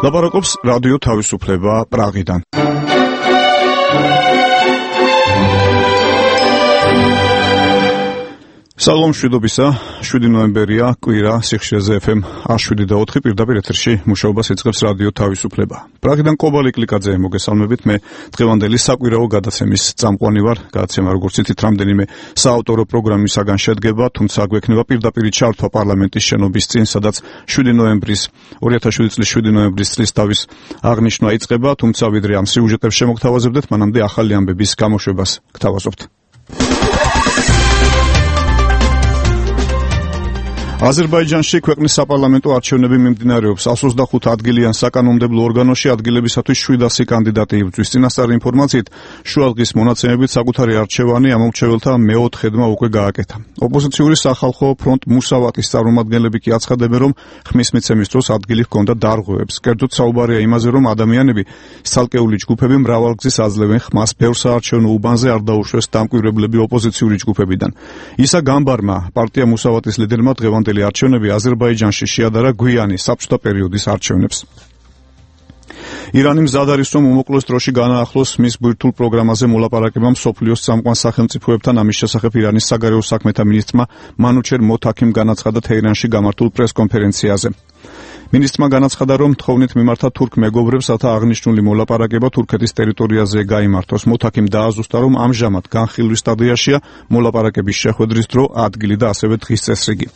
ლაპარაკობს რადიო თავისუფლება პრაღიდან. სალომ შვიდობისა, 7 ნოემბერია, კვირა, სიხშირეზე FM 107.4 პირდაპირ ეთერში მუშაობას იწყებს რადიო თავისუფლება. პრაღიდან კობალი კლიკაძე მოგესალმებით, მე დღევანდელი საკვირაო გადაცემის წამყვანი ვარ. გადაცემა როგორც იცით, რამდენიმე საავტორო პროგრამისაგან შედგება, თუმცა გვექნება პირდაპირ ჩართვა პარლამენტის შენობის წინ, სადაც 2007 წლის თავის აღნიშვნა იწყება, თუმცა ვიდრე ამ სიუჟეტებს შემოგთავაზებდეთ, მანამდე ახალი ამბების გამოშვებას გთავაზობთ. აზერბაიჯანში ქვეყნის საპარლამენტო არჩევნები მიმდინარეობს. 125 ადგილიან საკანონმდებლო ორგანოში ადგილებისათვის 700 კანდიდატი იბრძვის. წინასწარი ინფორმაციით, შუადღის მონაცემებით საკუთარი არჩევანი ამომრჩეველთა მეოთხედმა უკვე გააკეთა. ოპოზიციური სახალხო ფრონტ მუსავატის წარმომადგენლები კი აცხადებენ, რომ ხმის მიცემის დროს ადგილი ჰქონდა დარღვევებს. კერძოდ საუბარია იმაზე, რომ ადამიანები, ცალკეული ჯგუფები მრავალგზის აძლევენ ხმას ბევრ საარჩევნო უბანზე არ დაუშვეს დამკვირვებლები ოპოზიციური ჯგუფებიდან. ისა გამბარმა, პარტია მუსავატის ლიდერმა დღევანდელი არჩევნები აზერბაიჯანში შეადარა გვიანი საბჭოთა პერიოდის არჩევნებს. ირანი მზად არის, რომ უმოკლეს დროში განაახლოს მის ბირთვულ პროგრამაზე მოლაპარაკება მსოფლიოს წამყვან სახელმწიფოებთან. ამის შესახებ ირანის საგარეო საქმეთა მინისტრმა მანუჩერ მოთაქიმ განაცხადა თეირანში გამართულ პრესკონფერენციაზე. მინისტრმა განაცხადა, რომ თხოვნით მიმართა თურქ მეგობრებს, რათა აღნიშნული მოლაპარაკება თურქეთის ტერიტორიაზე გაიმართოს. მოთაქიმ დააზუსტა, რომ ამჟამად განხილვის სტადიაშია მოლაპარაკების შეხვედრის დრო, ადგილი და ასევე დღის წესრიგი.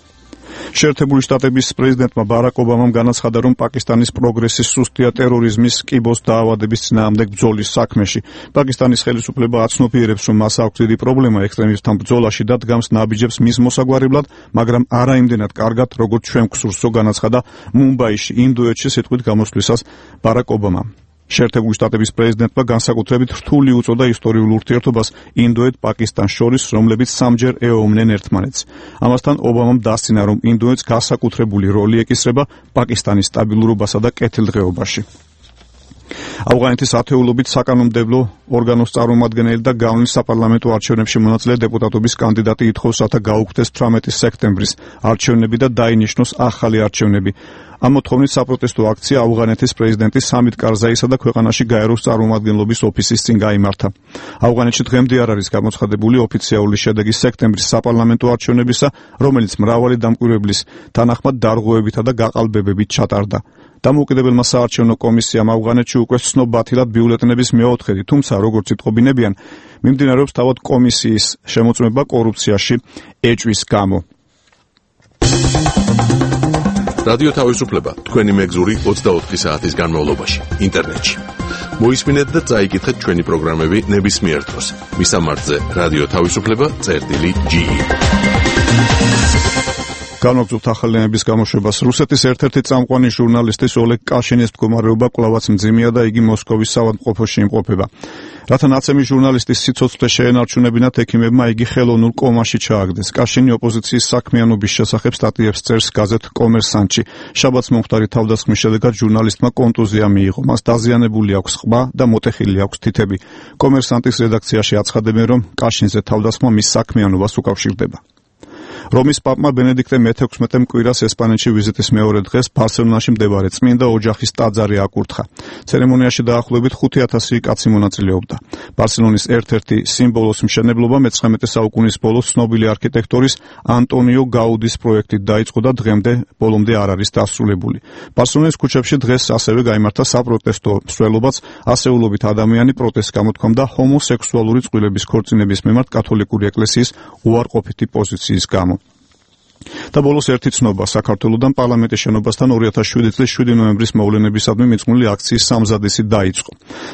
შეერთებული შტატების პრეზიდენტმა ბარაკ ობამამ განაცხადა, რომ პაკისტანის პროგრესი სუსტია ტერორიზმის, კიბოს დაავადების წინააღმდეგ ბრძოლის საქმეში. პაკისტანის ხელისუფლება აცნობიერებს, რომ მას აქვს დიდი პრობლემა ექსტრემისტთან ბრძოლაში და დგამს ნაბიჯებს მის მოსაგვარებლად, მაგრამ არა იმდენად კარგად, როგორც ჩვენ გვსურსო, განაცხადა მუმბაიში, ინდოეთში სიტყვით გამოსვლისას ბარაკ ობამამ. შეერთებული შტატების პრეზიდენტმა განსაკუთრებით რთული უწოდა ისტორიულ ურთიერთობას ინდოეთ-პაკისტანს შორის, რომლებიც სამჯერ ეომნენ ერთმანეთს. ამასთან ობამამ დასცინა, რომ ინდოეთს განსაკუთრებული როლი ეკისრება პაკისტანის სტაბილურობასა და კეთილდღეობაში. ავღანეთის ათეულობით საკანონმდებლო ორგანოს წარმომადგენელი და გავლენის საპარლამენტო არჩევნებში მონაწილე დეპუტატობის კანდიდატი ითხოვს, რათა გაუქმდეს 18 სექტემბრის არჩევნები და დაინიშნოს ახალი არჩევნები. ამ მოთხოვნით საპროტესტო აქცია ავღანეთის პრეზიდენტის სამით კარზაისა და ქვეყანაში გაეროს წარმომადგენლობის ოფისის წინ გაიმართა. ავღანეთში დღემდე არ არის გამოცხადებული ოფიციალური შედეგი სექტემბრის საპარლამენტო არჩევნებისა, რომელიც მრავალი დამკვირვებლის თანახმად დარღვევებითა და გაყალბებებით ჩატარდა. დამოუკიდებელმა საარჩევნო კომისიამ ავღანეთში უკვე ცნობათილად ბიულეტენების მეოთხედი, თუმცა როგორც იტყობინებიან, მიმდინარეობს თავად კომისიის შემოწმება კორუფციაში ეჭვის გამო. რადიო თავისუფლება თქვენი მეგზური 24 საათის განმავლობაში ინტერნეტში. მოისმინეთ და წაიკითხეთ ჩვენი პროგრამები ნებისმიერ დროს. მისამართზე რადიო თავისუფლება.ge. განვაგრძობთ ახალიანების გამოშვებას. რუსეთის ერთ-ერთი წამყვანი ჟურნალისტის ოლეგ კაშინის მდგომარეობა კვლავაც მძიმეა და იგი მოსკოვის საავადმყოფოში იმყოფება. რათა ნაცემი ჟურნალისტის სიცოცხლე შეენარჩუნებინათ, ექიმებმა იგი ხელოვნურ კომაში ჩააგდეს. კაშინი ოპოზიციის საქმიანობის შესახებ სტატიებს წერს გაზეთ კომერსანტში. შაბათს მომხდარი თავდასხმის შედეგად ჟურნალისტმა კონტუზია მიიღო. მას დაზიანებული აქვს ყბა და მოტეხილი აქვს თითები. კომერსანტის რედაქციაში აცხადებენ, რომ კაშინზე თავდასხმა მის საქმიანობას უკავშირდება. რომის პაპმა ბენედიქტე მე-16-მ კვირას ესპანეთში ვიზიტის მეორე დღეს ბარსელონაში მდებარე წმინდა ოჯახის ტაძარი აკურთხა. ცერემონიაში დაახლოებით 5000 კაცი მონაწილეობდა. ბარსელონის ერთ-ერთი სიმბოლოს მშენებლობა მე-19 საუკუნის ბოლოს ცნობილი არქიტექტორის ანტონიო გაუდის პროექტით დაიწყო და ბოლომდე არ არის დასრულებული. ბარსელონის ქუჩებში დღეს ასევე გაიმართა საპროტესტო მსვლელობაც, ასეულობით ადამიანი პროტესტს გამოთქვამდა ჰომოსექსუალური წყვილების ქორწინების მიმართ კათოლიკური ეკლესიის უარყოფითი პოზიციის გამო. და ბოლოს ერთი ცნობა საქართველოდან პარლამენტის შენობასთან 2007 წლის 7 ნოემბრის მოვლენებისადმი მიძღვნილი აქციის სამზადისი დაიწყო.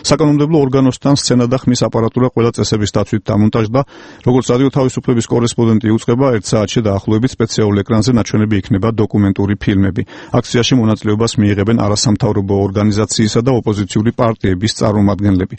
საკანონმდებლო ორგანოსთან სცენა და ხმის აპარატურა ყველა წესების დაცვით დამონტაჟდა. როგორც რადიო თავისუფლების კორესპონდენტი უწყება, 1 საათში დაახლოებით სპეციალურ ეკრანზე ნაჩვენები იქნება დოკუმენტური ფილმები. აქციაში მონაწილეობას მიიღებენ არასამთავრობო ორგანიზაციისა და ოპოზიციური პარტიების წარმომადგენლები.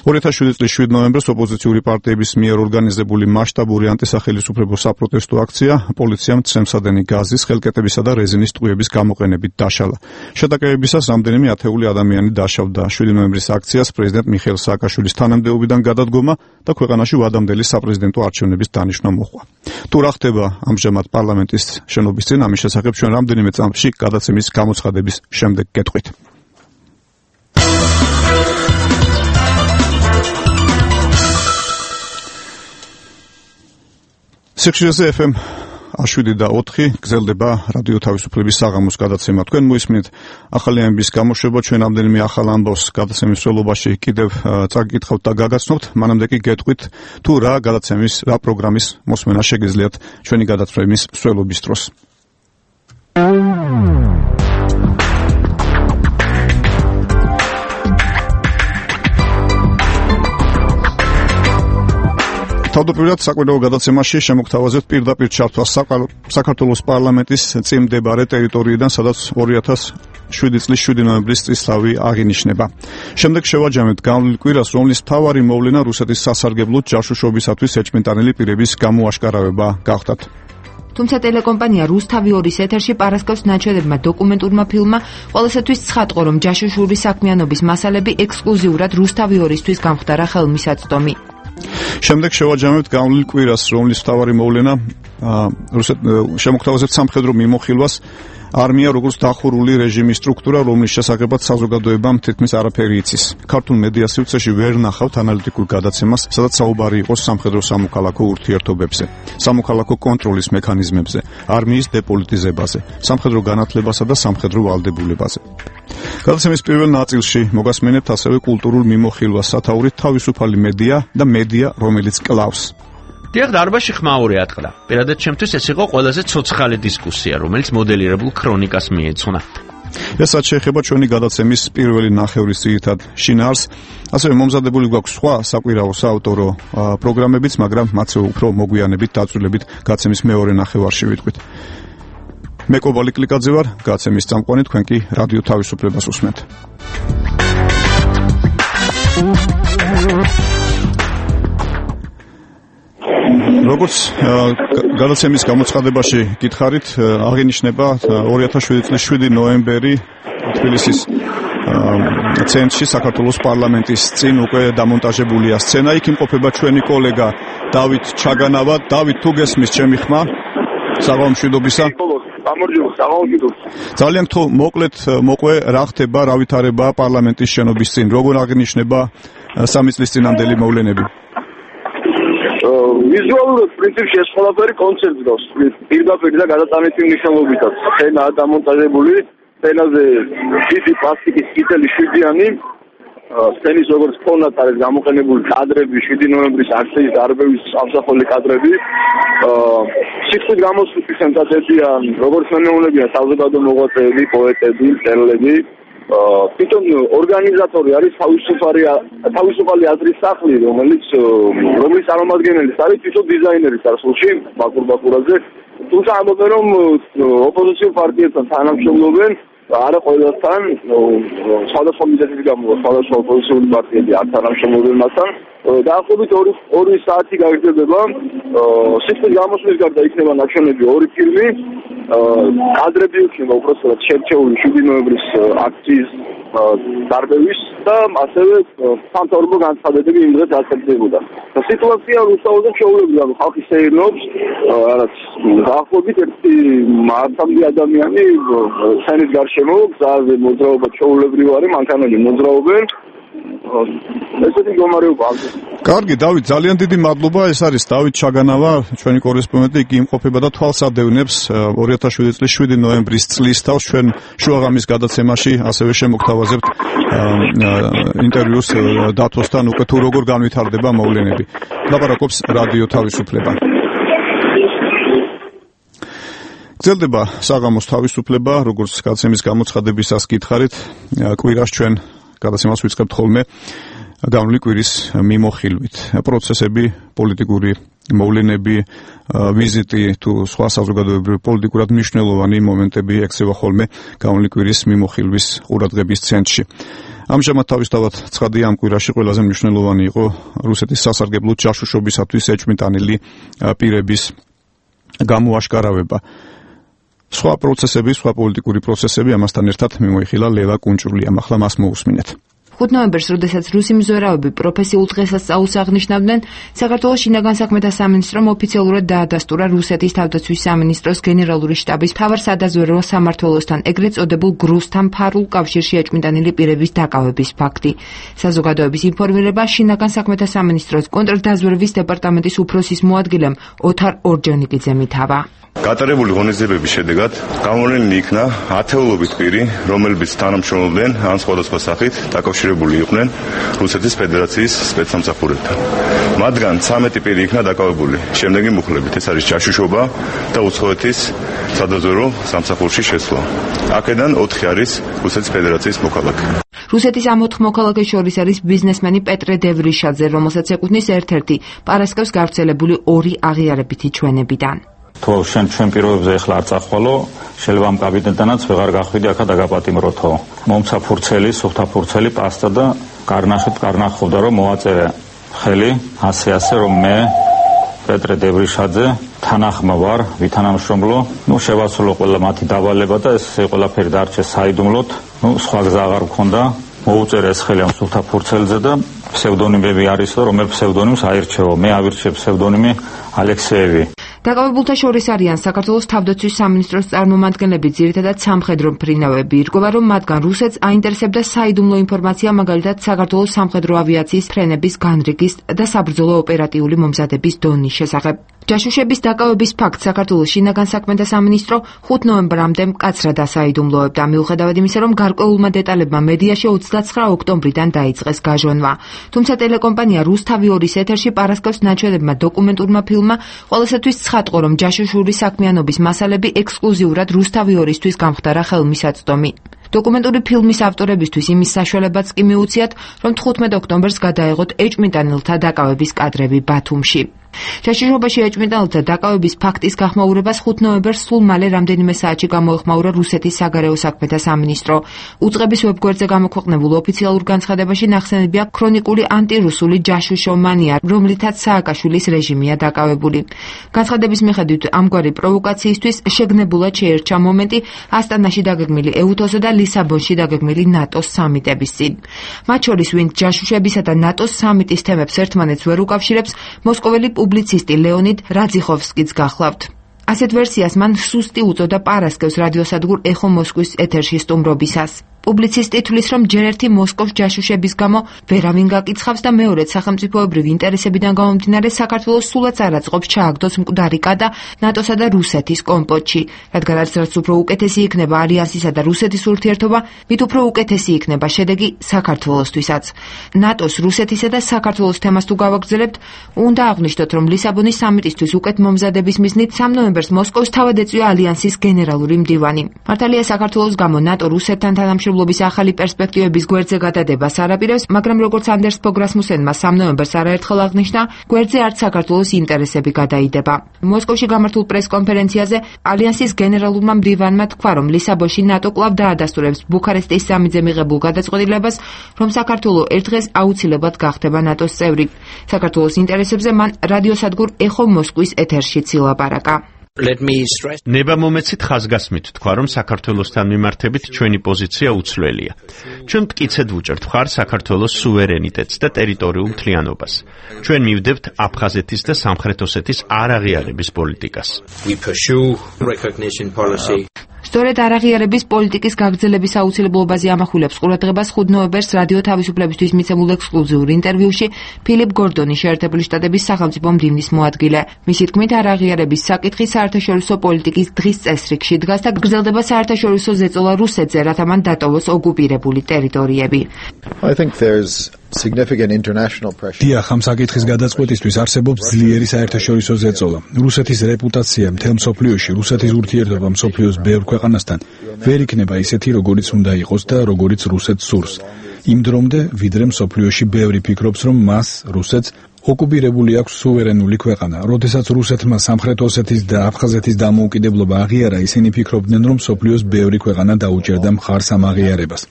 2007 წლის 7 ნოემბერს ოპოზიციური პარტიების მიერ ორგანიზებული მასშტაბური ანტისახელისუფლებო საპროტესტო აქცია პოლიციამ ცემსადენი გაზის, ხელკეტებისა და რეზინის ტყვიების გამოყენებით დაშალა. შეტაკებებისას რამდენიმე ათეული ადამიანი დაშავდა. 7 ნოემბრის აქციას პრეზიდენტ მიხეილ სააკაშვილის თანამდებობიდან გადადგომა და ქვეყანაში ვადამდელი საპრეზიდენტო არჩევნების დანიშვნა მოჰყვა. თუ რა ხდება ამჟამად პარლამენტის შენობის წინ, ამის შესახებ ჩვენ რამდენიმე წამში გადაცემის გამოცხადების შემდეგ გეტყვით. სიხშირეზე FM 7.4 გრძელდება რადიო თავისუფლების საღამოს გადაცემა. თქვენ მოისმინეთ ახალი ამბის გამოშვება, ჩვენ ამდენიმე ახალ ამბავს გადაცემის მსვლელობაში კიდევ წაგიკითხავთ და გაგაცნობთ. მანამდე კი გეტყვით თუ რა გადაცემის, რა პროგრამის მოსმენა შეგიძლიათ ჩვენი გადაცემის მსვლელობის დროს. თავდაპირველად საკვირაო გადაცემაში შემოგთავაზებთ პირდაპირ ჩართვას საქართველოს პარლამენტის წინ მდებარე ტერიტორიიდან, სადაც 2007 წლის 7 ნოემბრის წლისთავი აღინიშნება. შემდეგ შევაჯამებთ განვლილ კვირას, რომლის მთავარი მოვლენა რუსეთის სასარგებლოდ ჯაშუშობისათვის ეჭვმიტანილი პირების გამოაშკარავება გახდათ. თუმცა ტელეკომპანია რუსთავი 2-ის ეთერში პარასკევს ნაჩვენებმა დოკუმენტურმა ფილმმა ყოველსათვის ცხადყო, რომ ჯაშუშური საქმიანობის მასალები ექსკლუზიურად რუსთავი 2-ისთვის გამხდარა ხელმისაწვდომი. შემდეგ შევაჯამებთ განვლილ კვირას, რომლის მთავარი მოვლენა შემოგთავაზებთ სამხედრო მიმოხილვას. არმია როგორც დახურული რეჟიმის სტრუქტურა, რომლის შესახებაც საზოგადოებამ თითქმის არაფერი იცის. ქართულ მედია სივრცეში ვერ ნახავთ ანალიტიკურ გადაცემას, სადაც საუბარი იყოს სამხედრო სამოქალაქო ურთიერთობებზე, სამოქალაქო კონტროლის მექანიზმებზე, არმიის დეპოლიტიზებაზე, სამხედრო განათლებასა და სამხედრო ვალდებულებაზე. გადაცემის პირველ ნაწილში მოგასმენებთ ასევე კულტურულ მიმოხილვას, სათაურით თავისუფალი მედია და მედია, რომელიც კლავს. დიახ, დარბაზში ხმაური ატყდა. პირადად ჩემთვის ეს იყო ყველაზე ცოცხალი დისკუსია, რომელიც მოდელირებულ ქრონიკას მიეძღვნა. ესაც შეეხება ჩვენი გადაცემის პირველი ნახევრის ძირითად შინაარსს. ასევე მომზადებული გვაქვს სხვა საკვირაო საავტორო პროგრამებიც, მაგრამ მათზე უფრო მოგვიანებით დაწვრილებით გაცემის მეორე ნახევარში ვიტყვით. მე კობალი კლიკაძე ვარ, გაცემის წამყვანი, თქვენ კი რადიო თავისუფლებას უსმენთ. როგორც გადაცემის გამოცხადებაში გითხარით, აღინიშნება 2007 წლის 7 ნოემბერი თბილისის ცენტრში საქართველოს პარლამენტის წინ უკვე დამონტაჟებულია სცენა. იქ იმყოფება ჩვენი კოლეგა დავით ჩაგანავა. დავით, თუ გესმის ჩემი ხმა? საღამომშვიდობისა. ძალიან თუ მოკლედ მოყვე, რა ხდება, რა ვითარება პარლამენტის შენობის წინ, როგორ აღინიშნება 3 წლის წინანდელი მოვლენები? ვიზუალურად პრინციპში ეს ყველაფერი კონცერტს პირდაპირ და გადატანითი მნიშვნელობითაც. სცენა დამონტაჟებული, სცენაზე დიდი პლასტიკის კითელი 7-იანი, სცენის როგორც ფონად არის გამოყენებული კადრები 7 ნოემბრის აქციის დარბევის ამსახველი კადრები. სიცხით გამოსვლის სენსაცია, როგორც მენეულებია საზოგადო მოღვაწეები, პოეტები, მწერლები. თვითონ ორგანიზატორი არის თავისუფალი აზრის სახლი, რომლის წარმომადგენელი არის თვითონ დიზაინერი წარსულში ბაკურ ბაკურაძე. თუმცა ამბობენ, რომ ოპოზიციურ პარტიებთან თანამშრომლობენ, არა ყველასთან, სხვადასხვა მიზეზის გამო სხვადასხვა ოპოზიციური პარტიები არ თანამშრომლობენ მასთან. დაახლოებით 2 საათი გაგრძელდება. სიცხით გამოსვლის გარდა იქნება ნაჩვენები 2 ფილმი. კადრები იქნება უბრალოდ შერჩეული 7 ნოემბრის აქციის დარბევის და ასევე სამთავრობო განცხადებები იმ დღეს ასრულებდა. სიტუაცია რუსთავზე შეუძლებელია, რომ ხალხი სეირნობს, რაც დაახლოებით 1 ადამიანი სცენის გარშემო გზაზე მოძრაობა შეუძლებელია, მანქანები მოძრაობენ. ესეთი მდგომარეობა. კარგი, დავით, ძალიან დიდი მადლობა. ეს არის დავით ჩაგანავა, ჩვენი კორესპონდენტი, იგი იმყოფება და თვალს ადევნებს 2007 წლის 7 ნოემბრის წლისთავს. ჩვენ შუაღამის გადაცემაში ასევე შემოგთავაზებთ ინტერვიუს დათოსთან, უკვე თუ როგორ განვითარდება მოვლენები. ლაპარაკობს რადიო თავისუფლება. გრძელდება საღამოს თავისუფლება, როგორც გადაცემის გამოცხადებისას გითხარით, კვირას ჩვენ გადაცემას ვიწყებთ ხოლმე განვლილი კვირის მიმოხილვით. პროცესები, პოლიტიკური მოვლენები, ვიზიტი თუ სხვა საზოგადოებრივი პოლიტიკურად მნიშვნელოვანი მომენტები ექცევა ხოლმე განვლილი კვირის მიმოხილვის ყურადღების ცენტრში. ამჟამად თავისთავად ცხადია, ამ კვირაში ყველაზე მნიშვნელოვანი იყო რუსეთის სასარგებლოდ ჯაშუშობისათვის ეჭვმიტანილი პირების გამოაშკარავება. სხვა პროცესები, სხვა პოლიტიკური პროცესები, ამასთან ერთად მიმოიხილა ლევა კუნჭულიამ. ახლა მას მოусმინეთ. 5 ნოემბერს, როდესაც რუსი მზვერავები პროფესიულ დღესასწაულს აღნიშნავდნენ, საქართველოს შინაგან საქმეთა სამინისტრომ ოფიციალურად დაადასტურა რუსეთის თავდაცვის სამინისტროს გენერალური შტაბის მთავარ სადაზვერვო სამმართველოსთან, ეგრეთ წოდებულ გრუსთან ფარულ კავშირში ეჭვმიტანილი პირების დაკავების ფაქტი. საზოგადოების ინფორმირება შინაგან საქმეთა სამინისტროს კონტრდაზვერვის დეპარტამენტის უფროსის მოადგილემ ოთარ ორჯონიკიძემ ითავა. გატარებული ღონისძიებების შედეგად გამოვლენილი იქნა ათეულობით პირი, რომლებიც თანამშრომლობდნენ ან სხვადასხვა სახით დაკავშირებული იყვნენ რუსეთის ფედერაციის სპეცსამსახურებთან. მათგან 13 პირი იქნა დაკავებული შემდეგი მუხლებით: ეს არის ჯაშუშობა და უცხოეთის სადაზვერვო სამსახურში შესვლა. აქედან 4 არის რუსეთის ფედერაციის მოქალაქე. რუსეთის ამ 4 მოქალაქეს შორის არის ბიზნესმენი პეტრე დევრიშაძე, რომელსაც ეკუთვნის ერთ-ერთი პარასკევს გავრცელებული 2 აღიარებითი ჩვენებიდან. თუ ჩვენ პირობებზე ახლა არ წახვალო, შეიძლება ამ კაბინეტთანაც ვეღარ გახვიდე აქა დაგაპატიმროთო. მომცა ფურცელი, სუფთა ფურცელი, პასტა და კარნაშეთ კარნახობდა რომ მოვაწერე ხელი, ასე რომ მე პეტრე დევრიშაძე თანახმა ვარ, ვითანამშრომლო, შევასრულო ყველა მათი დავალება და ეს ყველაფერი დარჩეს საიდუმლოდ. სხვა გზა აღარ მქონდა. მოუწერე ეს ხელი ამ სუფთა ფურცელზე და ფსევდონიმები არის, რომელ ფსევდონიმს აირჩევო. მე ავირჩევ ფსევდონიმი ალექსეევი. დაკავებულთა შორის არიან საქართველოს თავდაცვის სამინისტროს წარმომადგენლები, ძირითადად სამხედრო მფრინავები. ირკვევა, რომ მათგან რუსეთს აინტერესებდა საიდუმლო ინფორმაცია, მაგალითად საქართველოს სამხედრო ავიაციის ფრენების განრიგის და საბრძოლო ოპერატიული მომზადების დონის შესახებ. ჯაშუშების დაკავების ფაქტს საქართველოს შინაგან საქმეთა სამინისტრო 5 ნოემბრამდე მკაცრად ასაიდუმლოებდა, მიუხედავად იმისა, რომ გარკვეულმა დეტალებმა მედიაში 29 ოქტომბრიდან დაიწყეს გაჟონვა. თუმცა ტელეკომპანია რუსთავი 2-ის ეთერში პარასკევს ნაჩვენებმა დოკუმენტურმა ფილმმა ყოველსათვის ცხადყო, რომ ჯაშუშური საქმიანობის მასალები ექსკლუზიურად რუსთავი 2-ისთვის გამხდარა ხელმისაწვდომი. დოკუმენტური ფილმის ავტორებისთვის იმის საშუალებაც კი მიუციათ, რომ 15 ოქტომბერს გადაეღოთ ეჭვმიტანილთა დაკავების კადრები ბათუმში. ჯაშუშობაში ეჭვმიტანილთა დაკავების ფაქტის გახმაურებას 5 ნოემბერს სულ მალე რამდენიმე საათში გამოეხმაურა რუსეთის საგარეო საქმეთა სამინისტრო. უწყების ვებგვერდზე გამოქვეყნებულ ოფიციალურ განცხადებაში ნახსენებია ქრონიკული ანტირუსული ჯაშუშომანია, რომლითაც სააკაშვილის რეჟიმია დაკავებული. განცხადების მიხედვით ამგვარი პროვოკაციისთვის შეგნებულად შეერჩა მომენტი ასტანაში დაგეგმილი ეუთოს და ლისაბონში დაგეგმილი ნატოს სამიტების წინ. მათ შორის ვინც ჯაშუშებისა და ნატოს სამიტის თემებს ერთმანეთს ვერ უკავშირებს, მოსკოველი პუბლიცისტი ლეონიდ რაძიხოვსკიც გახლავთ. ასეთ ვერსიას მან სუსტი უწოდა პარასკევს რადიოსადგურ ეხო მოსკვის ეთერში სტუმრობისას. პუბლიცისტი თვლის, რომ ჯერ ერთი მოსკოვს ჯაშუშების გამო ვერავინ გაკიცხავს და მეორედ სახელმწიფოებრივი ინტერესებიდან გამომდინარე საქართველოს სულაც არ აწყობს ჩააგდოს მკვდარი კადა ნატოსა და რუსეთის კომპოტში, რადგან რაც უფრო უკეთესი იქნება ალიანსისა და რუსეთის ურთიერთობა, მით უფრო უკეთესი იქნება შედეგი საქართველოსთვისაც. ნატოს, რუსეთისა და საქართველოს თემას თუ გავაგრძელებთ, უნდა აღვნიშნოთ, რომ ლისაბონის სამიტისთვის უკეთ მომზადების მიზნით 3 ნოემბერს მოსკოვს თავად ეწვია ალიანსის გენერალური მდივანი. მართალია საქართველოს გამო ნატო რუსეთთან თანამშრომლობის ახალი პერსპექტივების გვერდზე გადადებას არ აპირებს, მაგრამ როგორც ანდერს ფოგ რასმუსენმა 3 ნოემბერს არაერთხელ აღნიშნა, გვერდზე არც საქართველოს ინტერესები გადაიდება. მოსკოვში გამართულ პრესკონფერენციაზე ალიანსის გენერალურმა მდივანმა თქვა, რომ ლისაბონში ნატო კვლავ დაადასტურებს ბუქარესტის სამიტზე მიღებულ გადაწყვეტილებას, რომ საქართველო ერთ დღეს აუცილებლად გახდება ნატოს წევრი. საქართველოს ინტერესებზე მან რადიოსადგურ ეხო მოსკვის ეთერშიც ილაპარაკა. ნება მომეცით ხაზგასმით თქვა, რომ საქართველოსთან მიმართებით ჩვენი პოზიცია უცვლელია. ჩვენ მტკიცედ ვუჭერთ მხარ საქართველოს სუვერენიტეტს და ტერიტორიულ მთლიანობას. ჩვენ მივდებთ აფხაზეთის და სამხრეთ ოსეთის არაღიარების პოლიტიკას. სწორედ არაღიარების პოლიტიკის გაგრძელების აუცილებლობაზე ამახვილებს ყურადღებას 5 ნოემბერს რადიო თავისუფლებისთვის მიცემულ ექსკლუზიურ ინტერვიუში ფილიპ გორდონი, შეერთებული შტატების სახელმწიფო მდივნის მოადგილე. მისი თქმით, არაღიარების საკითხი საერთაშორისო პოლიტიკის დღის წესრიგში დგას და გრძელდება საერთაშორისო ზეწოლა რუსეთზე, რათა მან დატოვოს ოკუპირებული ტერიტორიები. დიახ, ამ საკითხის გადაწყვეტისთვის არსებობს ძლიერი საერთაშორისო ზეწოლა. რუსეთის რეპუტაცია მთელ მსოფლიოში, რუსეთის ურთიერთობა მსოფლიოს ბევრ ქვეყანასთან ვერ იქნება ისეთი, როგორიც უნდა იყოს და როგორიც რუსეთს სურს. იმ დრომდე, ვიდრე მსოფლიოში ბევრი ფიქრობს, რომ მას, რუსეთს, ოკუპირებული აქვს სუვერენული ქვეყანა. როდესაც რუსეთმა სამხრეთ ოსეთის და აფხაზეთის დამოუკიდებლობა აღიარა, ისინი ფიქრობდნენ, რომ მსოფლიოს ბევრი ქვეყანა დაუჭერდა მხარს ამ აღიარებას.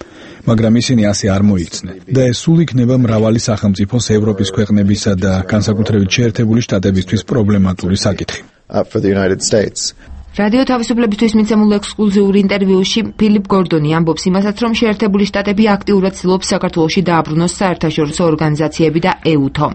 მაგრამ ისინი ასე არ მოიქცნენ. და ეს სულ იქნება მრავალი სახელმწიფოს, ევროპის ქვეყნებისა და განსაკუთრებით შეერთებული შტატებისთვის პრობლემატური საკითხი. რადიო თავისუფლებისთვის მიცემულ ექსკლუზიურ ინტერვიუში ფილიპ გორდონი ამბობს იმასაც, რომ შეერთებული შტატები აქტიურად ცდილობს საქართველოში დააბრუნოს საერთაშორისო ორგანიზაციები და EUTO.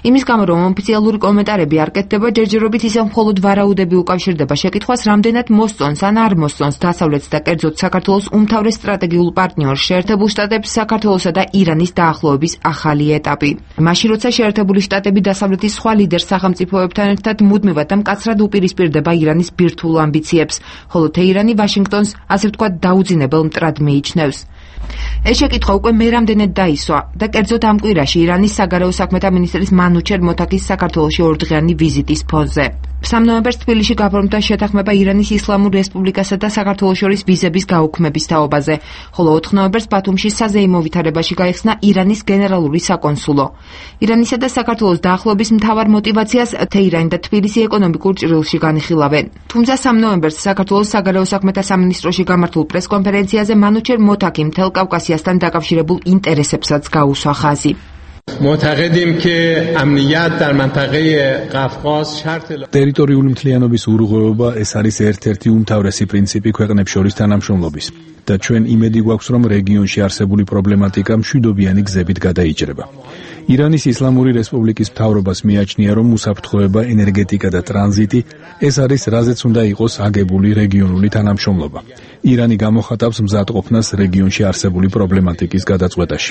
იმის გამო, რომ ოფიციალური კომენტარები არ კეთდება, ჯერჯერობით ისევ მხოლოდ ვარაუდები უკავშირდება შეკითხვას, რამდენად მოსწონს ან არ მოსწონს დასავლეთს და კერძოდ საქართველოს უმთავრეს სტრატეგიულ პარტნიორს შეერთებულ შტატებს საქართველოსა და ირანის დაახლოების ახალი ეტაპი. მაშინ, როცა შეერთებული შტატები დასავლეთის სხვა ლიდერ სახელმწიფოებთან ერთად მუდმივად და მკაცრად უპირისპირდება ირანის ბირთვულ ამბიციებს, ხოლო თეირანი ვაშინგტონს, ასე ვთქვათ, დაუძინებელ მტრად მიიჩნევს. ეს შეკითხვა უკვე მე რამდენად დაისვა და კერძოდ ამ კვირაში ირანის საგარეო საქმეთა მინისტრის მანუჩერ მოთაკის საქართველოში ორდღიანი ვიზიტის ფონზე. 3 ნოემბერს თბილისში გაფორმდა შეთანხმება ირანის ისლამურ რესპუბლიკასა და საქართველოს შორის ვიზების გაუქმების თაობაზე, ხოლო 4 ნოემბერს ბათუმში საზეიმო ვითარებაში გაიხსნა ირანის გენერალური საკონსულო. ირანისა და საქართველოს დაახლოების მთავარ მოტივაციას თეირანი და თბილისი ეკონომიკურ ჭრილში განიხილავენ. თუმცა 3 ნოემბერს საქართველოს საგარეო საქმეთა სამინისტროში გამართულ პრესკონფერენციაზე მანუჩერ მოთაკი მთელ კავკასიასთან დაკავშირებულ ინტერესებსაც გაუსვა ხაზი. معتقدیم که امنیت در منطقه قفقاز شرط ტერიტორიული მთლიანობის ურღვევობა ეს არის ერთ-ერთი უმთავრესი პრინციპი ქვეყნებს შორის თანამშრომლობის და ჩვენ იმედი გვაქვს, რომ რეგიონში არსებული პრობლემატიკა მშვიდობიანი გზებით გადაიჭრება. ირანის ისლამური რესპუბლიკის მთავრობას მიაჩნია, რომ უსაფრთხოება, ენერგეტიკა და ტრანზიტი ეს არის, რაზეც უნდა იყოს აგებული რეგიონული თანამშრომლობა. ირანი გამოხატავს მზადყოფნას რეგიონში არსებული პრობლემატიკის გადაწყვეტაში.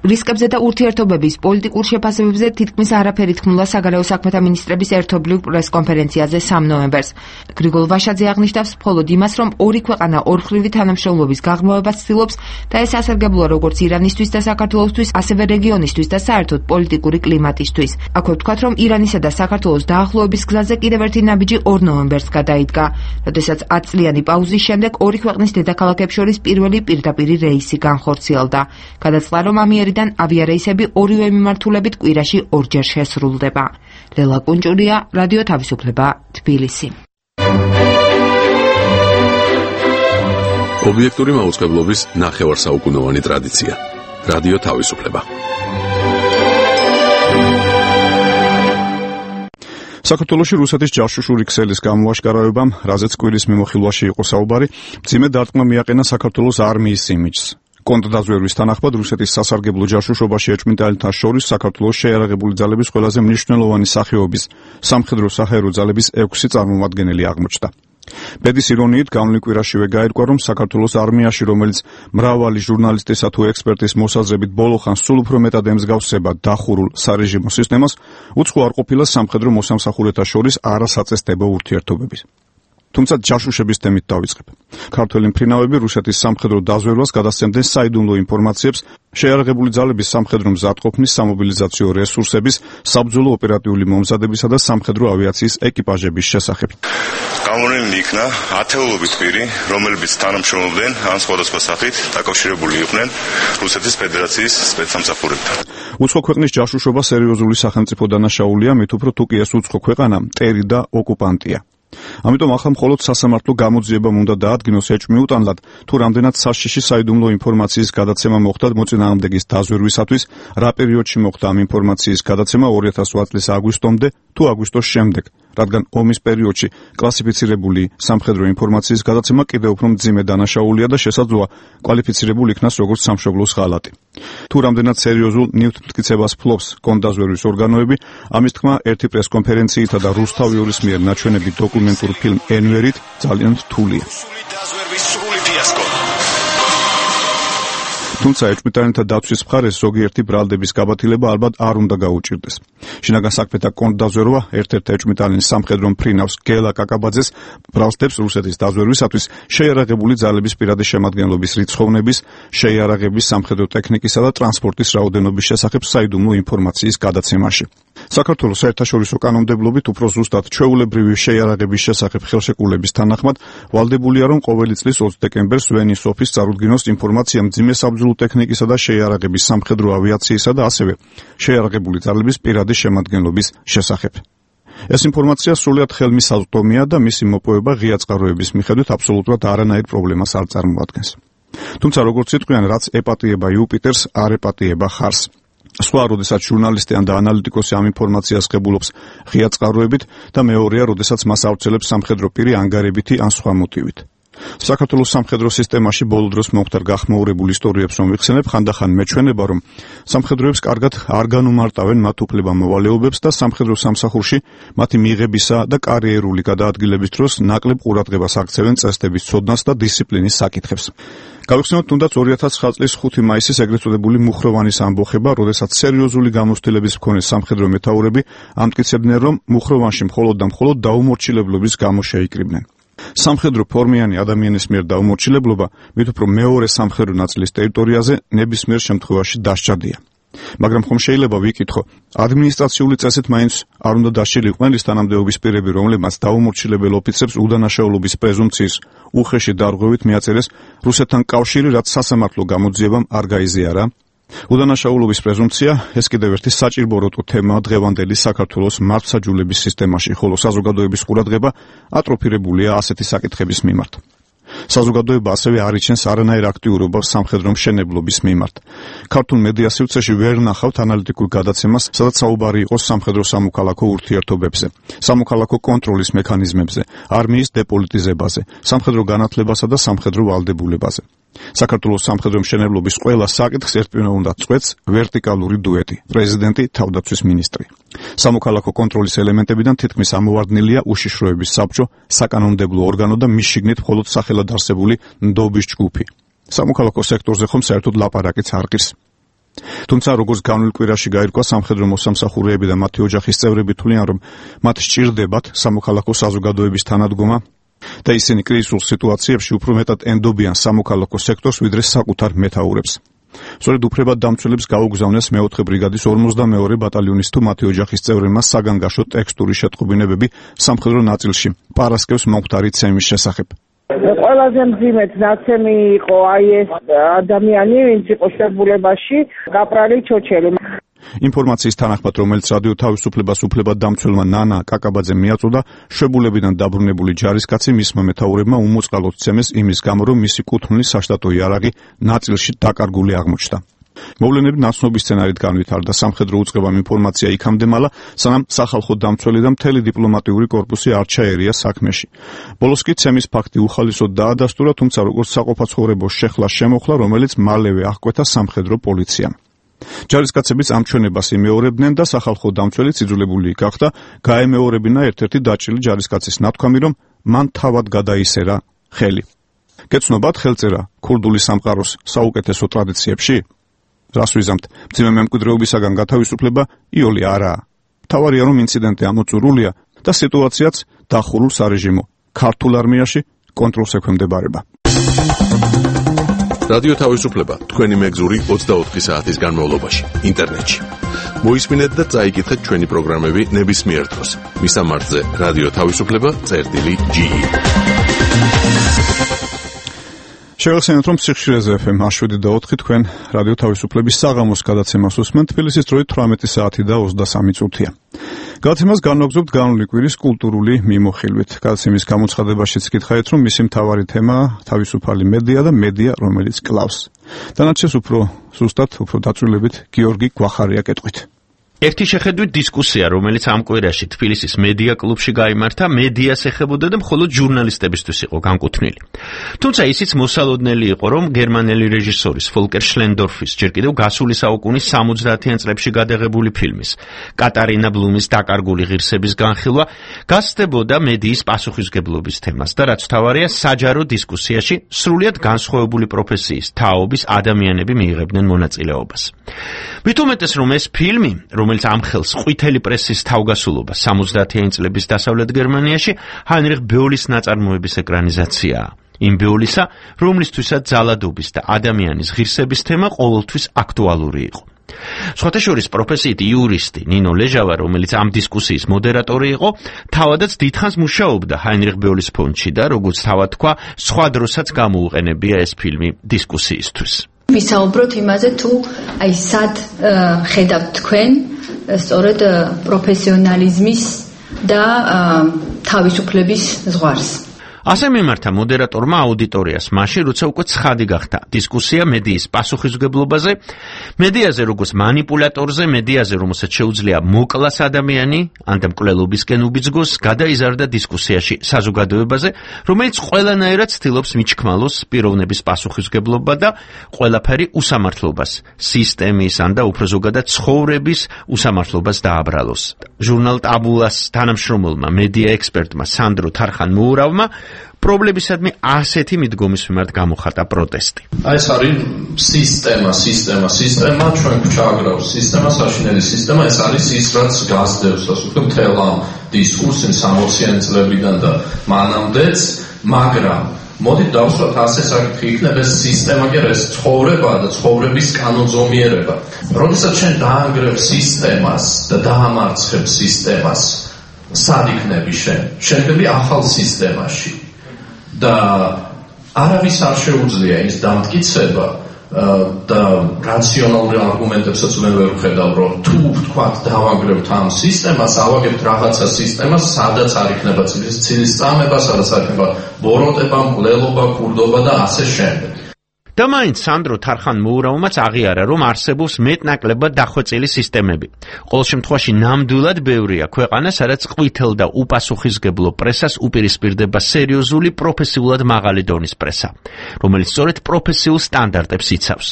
რისკებზე და ურთიერთობების პოლიტიკურ შეფასებებზე თითქმის არაფერი თქმულა საგარეო საქმეთა მინისტრების ერთობლივ პრესკონფერენციაზე 3 ნოემბერს. გრიგოლ ვაშაძე აღნიშნავს მხოლოდ იმას, რომ ორი ქვეყანა ორხრივი თანამშრომლობის გაღრმავებას ცდილობს და ეს ასარგებლოა როგორც ირანისთვის და საქართველოსთვის, ასევე რეგიონისთვის და საერთოდ პოლიტიკური კლიმატისთვის. აქვე ვთქვათ, რომ ირანისა და საქართველოს დაახლოების გზაზე კიდევ ერთი ნაბიჯი 2 ნოემბერს გადაიდგა, როდესაც 10 წლიანი პაუზის შემდეგ ორი ქვეყნის დედაქალაქებს შორის პირველი პირდაპირი რეისი განხორციელდა. გადაწყდა, რომ ამიერიდან ავიარეისები ორივე მიმართულებით კვირაში 2 ჯერ შესრულდება. ლელა კუნჭურია, რადიო თავისუფლება, თბილისი. ობიექტური მაუწყებლობის ნახევარსაუკუნოვანი ტრადიცია. რადიო თავისუფლება. საქართველოში რუსეთის ჯაშუშური ქსელის გამოაშკარავებამ, რაზეც კვირის მიმოხილვაში იყო საუბარი, მძიმე დარტყმა მიაყენა საქართველოს არმიის იმიჯს. კონტრდაზვერვის თანახმად რუსეთის სასარგებლო ჯაშუშობაში ეჭვმიტანელთა შორის საქართველოს შეიარაღებული ძალების ყველაზე მნიშვნელოვანი სახეობის სამხედრო-საჰაერო ძალების 6 წარმომადგენელი აღმოჩნდა. ბედის ირონიით გავლენ კვირაშივე გაირკვა, რომ საქართველოს არმიაში, რომელიც მრავალი ჟურნალისტისა თუ ექსპერტის მოსაზრებით ბოლოხანს სულ უფრო მეტად ემსგავსება დახურულ სარეჟიმო სისტემას, უცხო არ ყოფილა სამხედრო მოსამსახურეთა შორის არასაწესდებო ურთიერთობების. თუმცა ჯაშუშების თემით დავიწყებ. ქართველი მფრინავები რუსეთის სამხედრო დაზვერვას გადასცემდნენ საიდუმლო ინფორმაციებს შეიარაღებული ძალების სამხედრო მზადყოფნის, სამობილიზაციო რესურსების, საბრძოლო ოპერატიული მომზადებისა და სამხედრო ავიაციის ეკიპაჟების შესახებ. გამოვლენილი იქნა ათეულობით პირი, რომლებიც თანამშრომლობდნენ ან სხვადასხვა სახით დაკავშირებული იყვნენ რუსეთის ფედერაციის სპეცსამსახურებთან. უცხო ქვეყნის ჯაშუშობა სერიოზული სახელმწიფო დანაშაულია, მით უფრო თუ კი ეს უცხო ქვეყანა მტერი და ოკუპანტია. ამიტომ ახლა მხოლოდ სასამართლო გამოძიებამ უნდა დაადგინოს ეჭვმიუტანლად, თუ რამდენად საშიში საიდუმლო ინფორმაციის გადაცემა მოხდა მოწინააღმდეგის დაზვერვისათვის, რა პერიოდში მოხდა ამ ინფორმაციის გადაცემა 2008 წლის აგვისტომდე თუ აგვისტოს შემდეგ, რადგან ომის პერიოდში კლასიფიცირებული სამხედრო ინფორმაციის გადაცემა კიდევ უფრო მძიმე დანაშაულია და შესაძლოა კვალიფიცირებული იქნას როგორც სამშობლოს ღალატი. თუ რამდენად სერიოზულ ნივთმტკიცებას ფლობს კონტრდაზვერვის ორგანოები, ამის თქმა ერთი პრესკონფერენციითა და რუსთავიორის მიერ ნაჩვენები დოკუმენტურ ფილმ ენვერით ძალიან რთულია. თუმცა ეჭვმიტანელთა დაცვის მხარეს ზოგიერთი ბრალდების გაბათილება ალბათ არ უნდა გაუჭირდეს. შინაგან საქმეთა კონტრდაზვერვა ერთ-ერთ ეჭვმიტანელ სამხედრო მფრინავს გელა კაკაბაძეს ბრალდებს რუსეთის დაზვერვისათვის შეიარაღებული ძალების პირადი შემადგენლობის რიცხოვნების, შეიარაღების სამხედრო ტექნიკისა და ტრანსპორტის რაოდენობის შესახებ საიდუმლო ინფორმაციის გადაცემაში. საქართველოს საერთაშორისო კანონმდებლობით უფრო ზუსტად ჩვეულებრივი შეიარაღების შესახებ ხელშეკრულების თანახმად ვალდებულია, რომ ყოველი წლის 20 დეკემბერს ვენის ოფისს წარუდგინოს ინფორმაცია მძიმე საბრძოლო ტექნიკისა და შეიარაღების სამხედრო ავიაციისა და ასევე შეიარაღებული ძალების პირადი შემადგენლობის შესახებ. ეს ინფორმაცია სრულად ხელმისაწვდომია და მისი მოპოვება ღია წყაროების მიხედვით აბსოლუტურად არანაირ პრობლემას არ წარმოადგენს. თუმცა როგორც იტყვიან, რაც ეპატიება იუპიტერს, არ ეპატიება ხარს. სხვა, როდესაც ჟურნალისტი და ანალიტიკოსი ამ ინფორმაციას ღებულობს ღია წყაროებით და მეორეა, როდესაც მას ავრცელებს სამხედრო პირი ანგარებითი ან სხვა მოტივით. საქართველოს სამხედრო სისტემაში ბოლო დროს მომხდარ გახმაურებულ ისტორიებს რომ ვიხსენებ, ხანდახან მეჩვენება, რომ სამხედროებს კარგად არ განუმარტავენ მათ უფლებამოვალეობებს და სამხედრო სამსახურში მათი მიღებისა და კარიერული გადაადგილების დროს ნაკლებ ყურადღებას აქცევენ წესდების ცოდნას და დისციპლინის საკითხებს. გავიხსენოთ თუნდაც 2009 წლის 5 მაისის ეგრეთ წოდებული მუხროვანის ამბოხება, როდესაც სერიოზული გამოცდილების მქონე სამხედრო მეთაურები ამტკიცებდნენ, რომ მუხროვანში მხოლოდ და მხოლოდ დაუმორჩილებლობის გამო შეიკრიბნენ. სამხედრო ფორმიანი ადამიანის მიერ დაუმორჩილებლობა მით უფრო მეორე სამხედრო ნაწილის ტერიტორიაზე ნებისმიერ შემთხვევაში დასჭადია. მაგრამ ხომ შეიძლება ვიკითხო, ადმინისტრაციული წესით მაინც არ უნდა დასჭილიყვნენ ის თანამდებობის პირები, რომლებმაც დაუმორჩილებელ ოფიცრებს უდანაშაულობის პრეზუმპციის უხეში დარღვევით მიაწერეს რუსეთთან კავშირი, რაც სასამართლო გამოძიებამ არ გაიზიარა? უდანაშაულობის პრეზუმპცია ეს კიდევ ერთი საჭირბოროტო თემაა დღევანდელი საქართველოს მართლმსაჯულების სისტემაში, ხოლო საზოგადოების ყურადღება ატროფირებულია ასეთი საკითხების მიმართ. საზოგადოება ასევე არ იჩენს არანაირ აქტიურობას სამხედრო მშენებლობის მიმართ. ქართულ მედია სივრცეში ვერ ნახავთ ანალიტიკურ გადაცემას, სადაც საუბარი იყოს სამხედრო სამოქალაქო ურთიერთობებზე, სამოქალაქო კონტროლის მექანიზმებზე, არმიის დეპოლიტიზებაზე, სამხედრო განათლებასა და სამხედრო ვალდებულებაზე. საქართველოს სამხედრო მშენებლობის ყველა საკითხს ერთპიროვნად უნდა წყვეტს ვერტიკალური დუეტი, პრეზიდენტი, თავდაცვის მინისტრი. სამოქალაქო კონტროლის ელემენტებიდან თითქმის ამოვარდნილია უშიშროების საბჭო, საკანონმდებლო ორგანო და მის შიგნით მხოლოდ სახელად არსებული ნდობის ჯგუფი. სამოქალაქო სექტორზე ხომ საერთოდ ლაპარაკიც არ ყირს. თუმცა როგორც განვლილ კვირაში გაირკვა, სამხედრო მოსამსახურეები და მათი ოჯახის წევრები თვლიან, რომ მათ სჭირდებათ სამოქალაქო საზოგადოების თანადგომა და ისინი კრიზისულ სიტუაციებში უფრო მეტად ენდობიან სამოქალაქო სექტორს, ვიდრე საკუთარ მეთაურებს. სწორედ უფლებადდამცველებს გაუგზავნეს მეოთხე ბრიგადის 52 ბატალიონის თუ მათი ოჯახის წევრებმა საგანგაშო ტექსტური შეტყობინებები სამხედრო ნაწილში პარასკევს მომხდარი ცემის შესახებ. ყველაზე მძიმედ ნაცემი იყო აი ეს ადამიანი, ვინც იყო შებულებაში, კაპრალი ჩოჩელი. ინფორმაციის თანახმად, რომელიც რადიო თავისუფლებას უფლებადდამცველმა ნანა კაკაბაძემ მიაწოდა, შებულებიდან დაბრუნებული ჯარისკაცი მისმა მეთაურებმა უმოწყალოდ ცემეს იმის გამო, რომ მისი კუთვნილი საშტატო იარაღი ნაწილში დაკარგული აღმოჩნდა. მოვლენები ნაცნობი სცენარით განვითარდა, სამხედრო უწყებამ ინფორმაცია იქამდე მალა, სანამ სახალხო დამცველი და მთელი დიპლომატიური კორპუსი არ ჩაერია საქმეში. ბოლოს კი ცემის ფაქტი უხალისოდ დაადასტურა, თუმცა როგორც საყოფაცხოვრებო შეხლა შემოხლა, რომელიც მალევე აღკვეთა სამხედრო პოლიციამ. ჯარისკაცებიც ამ ჩვენებას იმეორებდნენ და სახალხო დამცველიც იძულებული გახდა გაემეორებინა ერთ-ერთი დაჭრილი ჯარისკაცის ნათქვამი, რომ მან თავად გადაისერა ხელი. გეცნობათ ხელწერა ქურდული სამყაროს საუკეთესო ტრადიციებში? რას ვიზამთ, მძიმე მემკვიდრეობისაგან გათავისუფლება იოლი არაა. თავარია, რომ ინციდენტი ამოწურულია და სიტუაციაც დახურულ სარეჟიმო ქართულ არმიაში კონტროლს ექვემდებარება. რადიო თავისუფლება თქვენი მეგზური 24 საათის განმავლობაში ინტერნეტში. მოისმინეთ და წაიკითხეთ ჩვენი პროგრამები ნებისმიერ დროს. მისამართზე რადიო თავისუფლება.ge. შევახსენოთ, რომ სიხშირეზე FM 7.4 თქვენ რადიო თავისუფლების საღამოს გადაცემას უსმენთ. თბილისის დროით 18 საათი და 23 წუთია. გადაცემას განვაგრძობთ განვლილი კვირის კულტურული მიმოხილვით. გადაცემის გამოცხადებაშიც გითხარით, რომ მისი მთავარი თემაა თავისუფალი მედია და მედია, რომელიც კლავს. დანარჩენს უფრო ზუსტად, უფრო დაწვრილებით გიორგი გვახარია კეთყვით. ერთი შეხედვით დისკუსია, რომელიც ამ კვირაში თბილისის მედია კლუბში გაიმართა, მედიას ეხებოდა და მხოლოდ ჟურნალისტებისთვის იყო განკუთვნილი. თუმცა ისიც მოსალოდნელი იყო, რომ გერმანელი რეჟისორის ფოლკერ შლენდორფის ჯერ კიდევ გასული საუკუნის 70-იან წლებში გადაღებული ფილმის კატარინა ბლუმის დაკარგული ღირსების განხილვა გასცდებოდა მედიის პასუხისმგებლობის თემას და რაც თავარია, საჯარო დისკუსიაში სრულიად განსხვავებული პროფესიის თაობის ადამიანები მიიღებდნენ მონაწილეობას. მით უმეტეს, რომ ეს ფილმი, რომელიც ამხელს ყვითელი პრესის თავგასულობა 70-იანი წლების დასავლეთ გერმანიაში, ჰაინრიხ ბეოლის ნაწარმოების ეკრანიზაციაა. იმ ბეოლისა, რომლისთვისაც ძალადობის და ადამიანის ღირსების თემა ყოველთვის აქტუალური იყო. სხვათა შორის პროფესიით იურისტი ნინო ლეჟავა, რომელიც ამ დისკუსიის მოდერატორი იყო, თავადაც დიდხანს მუშაობდა ჰაინრიხ ბეოლის ფონდში და როგორც თავად თქვა, სხვა დროსაც გამოუყენებია ეს ფილმი დისკუსიისთვის. ვისაუბროთ იმაზე, თუ აი სად ხედავთ თქვენ სწორედ პროფესიონალიზმის და თავისუფლების ზღვარს. ასე მიმართა მოდერატორმა აუდიტორიას მაშინ, როცა უკვე ცხადი გახდა დისკუსია მედიის პასუხისმგებლობაზე, მედიაზე როგორც манипуляტორზე, მედიაზე რომელსაც შეუძლია მოკლას ადამიანი, ან და მკვლელობისკენ უბიძგოს, გადაიზარდა დისკუსიაში საზოგადოებაზე, რომელიც ყველანაირად ცდილობს მიჩქმალოს პიროვნების პასუხისმგებლობა და ყველაფერი უსამართლობას, სისტემის ან და უფრო ზოგადად ცხოვრების უსამართლობას დააბრალოს. ჟურნალ ტაბულას თანამშრომელმა მედია ექსპერტმა სანდრო თარხან-მოურავმა პრობლემისადმი ასეთი მიდგომის მიმართ გამოხატა პროტესტი. ეს არის სისტემა, ჩვენ გვჩააგრავს სისტემა, საშინელი სისტემა, ეს არის ის, რაც გასდევს, ასე ვთქვათ, მთელ ამ დისკურსს 60-იანი წლებიდან და მანამდეც, მაგრამ მოდით დავსვათ ასე საკითხი იქნება ეს სისტემა კი არა, ეს ცხოვრება და ცხოვრების კანონზომიერება. როდესაც ჩვენ დაანგრევ სისტემას და დაამარცხებ სისტემას, სად იქნები შენ? შენ ხები ახალ სისტემაში. და არავის არ შეუძლია ის დამტკიცება და რაციონალური არგუმენტებსაც ვერ ვხედავ, რომ თუ ვთქვათ დავანგრევთ ამ სისტემას, ავაგებთ რაღაცა სისტემას, სადაც არ იქნება ცილის წამება, სადაც არ იქნება ბოროტება, მკვლელობა, ქურდობა და ასე შემდეგ. და მაინც სანდრო თარხან-მოურავმაც აღიარა, რომ არსებობს მეტნაკლებად დახვეწილი სისტემები. ყოველ შემთხვევაში ნამდვილად ბევრია ქვეყანა, სადაც ყვითელ და უპასუხისმგებლო პრესას უპირისპირდება სერიოზული პროფესიულად მაღალი დონის პრესა, რომელიც სწორედ პროფესიულ სტანდარტებს იცავს.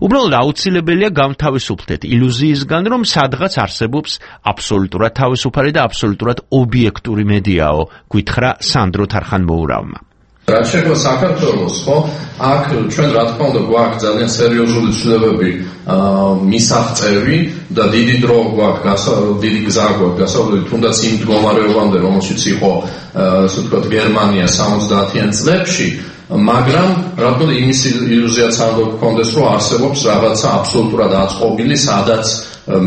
უბრალოდ აუცილებელია გამთავისუფლდეთ ილუზიისგან, რომ სადღაც არსებობს აბსოლუტურად თავისუფალი და აბსოლუტურად ობიექტური მედიაო, გვითხრა სანდრო თარხან-მოურავმა. რაც შეეხება საქართველოს, ხო, აქ ჩვენ რა თქმა უნდა გვაქვს ძალიან სერიოზული ცვლილებები მისაღწევი და დიდი დრო გვაქვს, დიდი გზა გვაქვს გასავლელი, თუნდაც იმ მდგომარეობამდე, რომელშიც იყო, ასე ვთქვათ, გერმანია 70-იან წლებში, მაგრამ რა თქმა უნდა იმის ილუზიაც არ გქონდეს, რომ არსებობს რაღაცა აბსოლუტურად აწყობილი, სადაც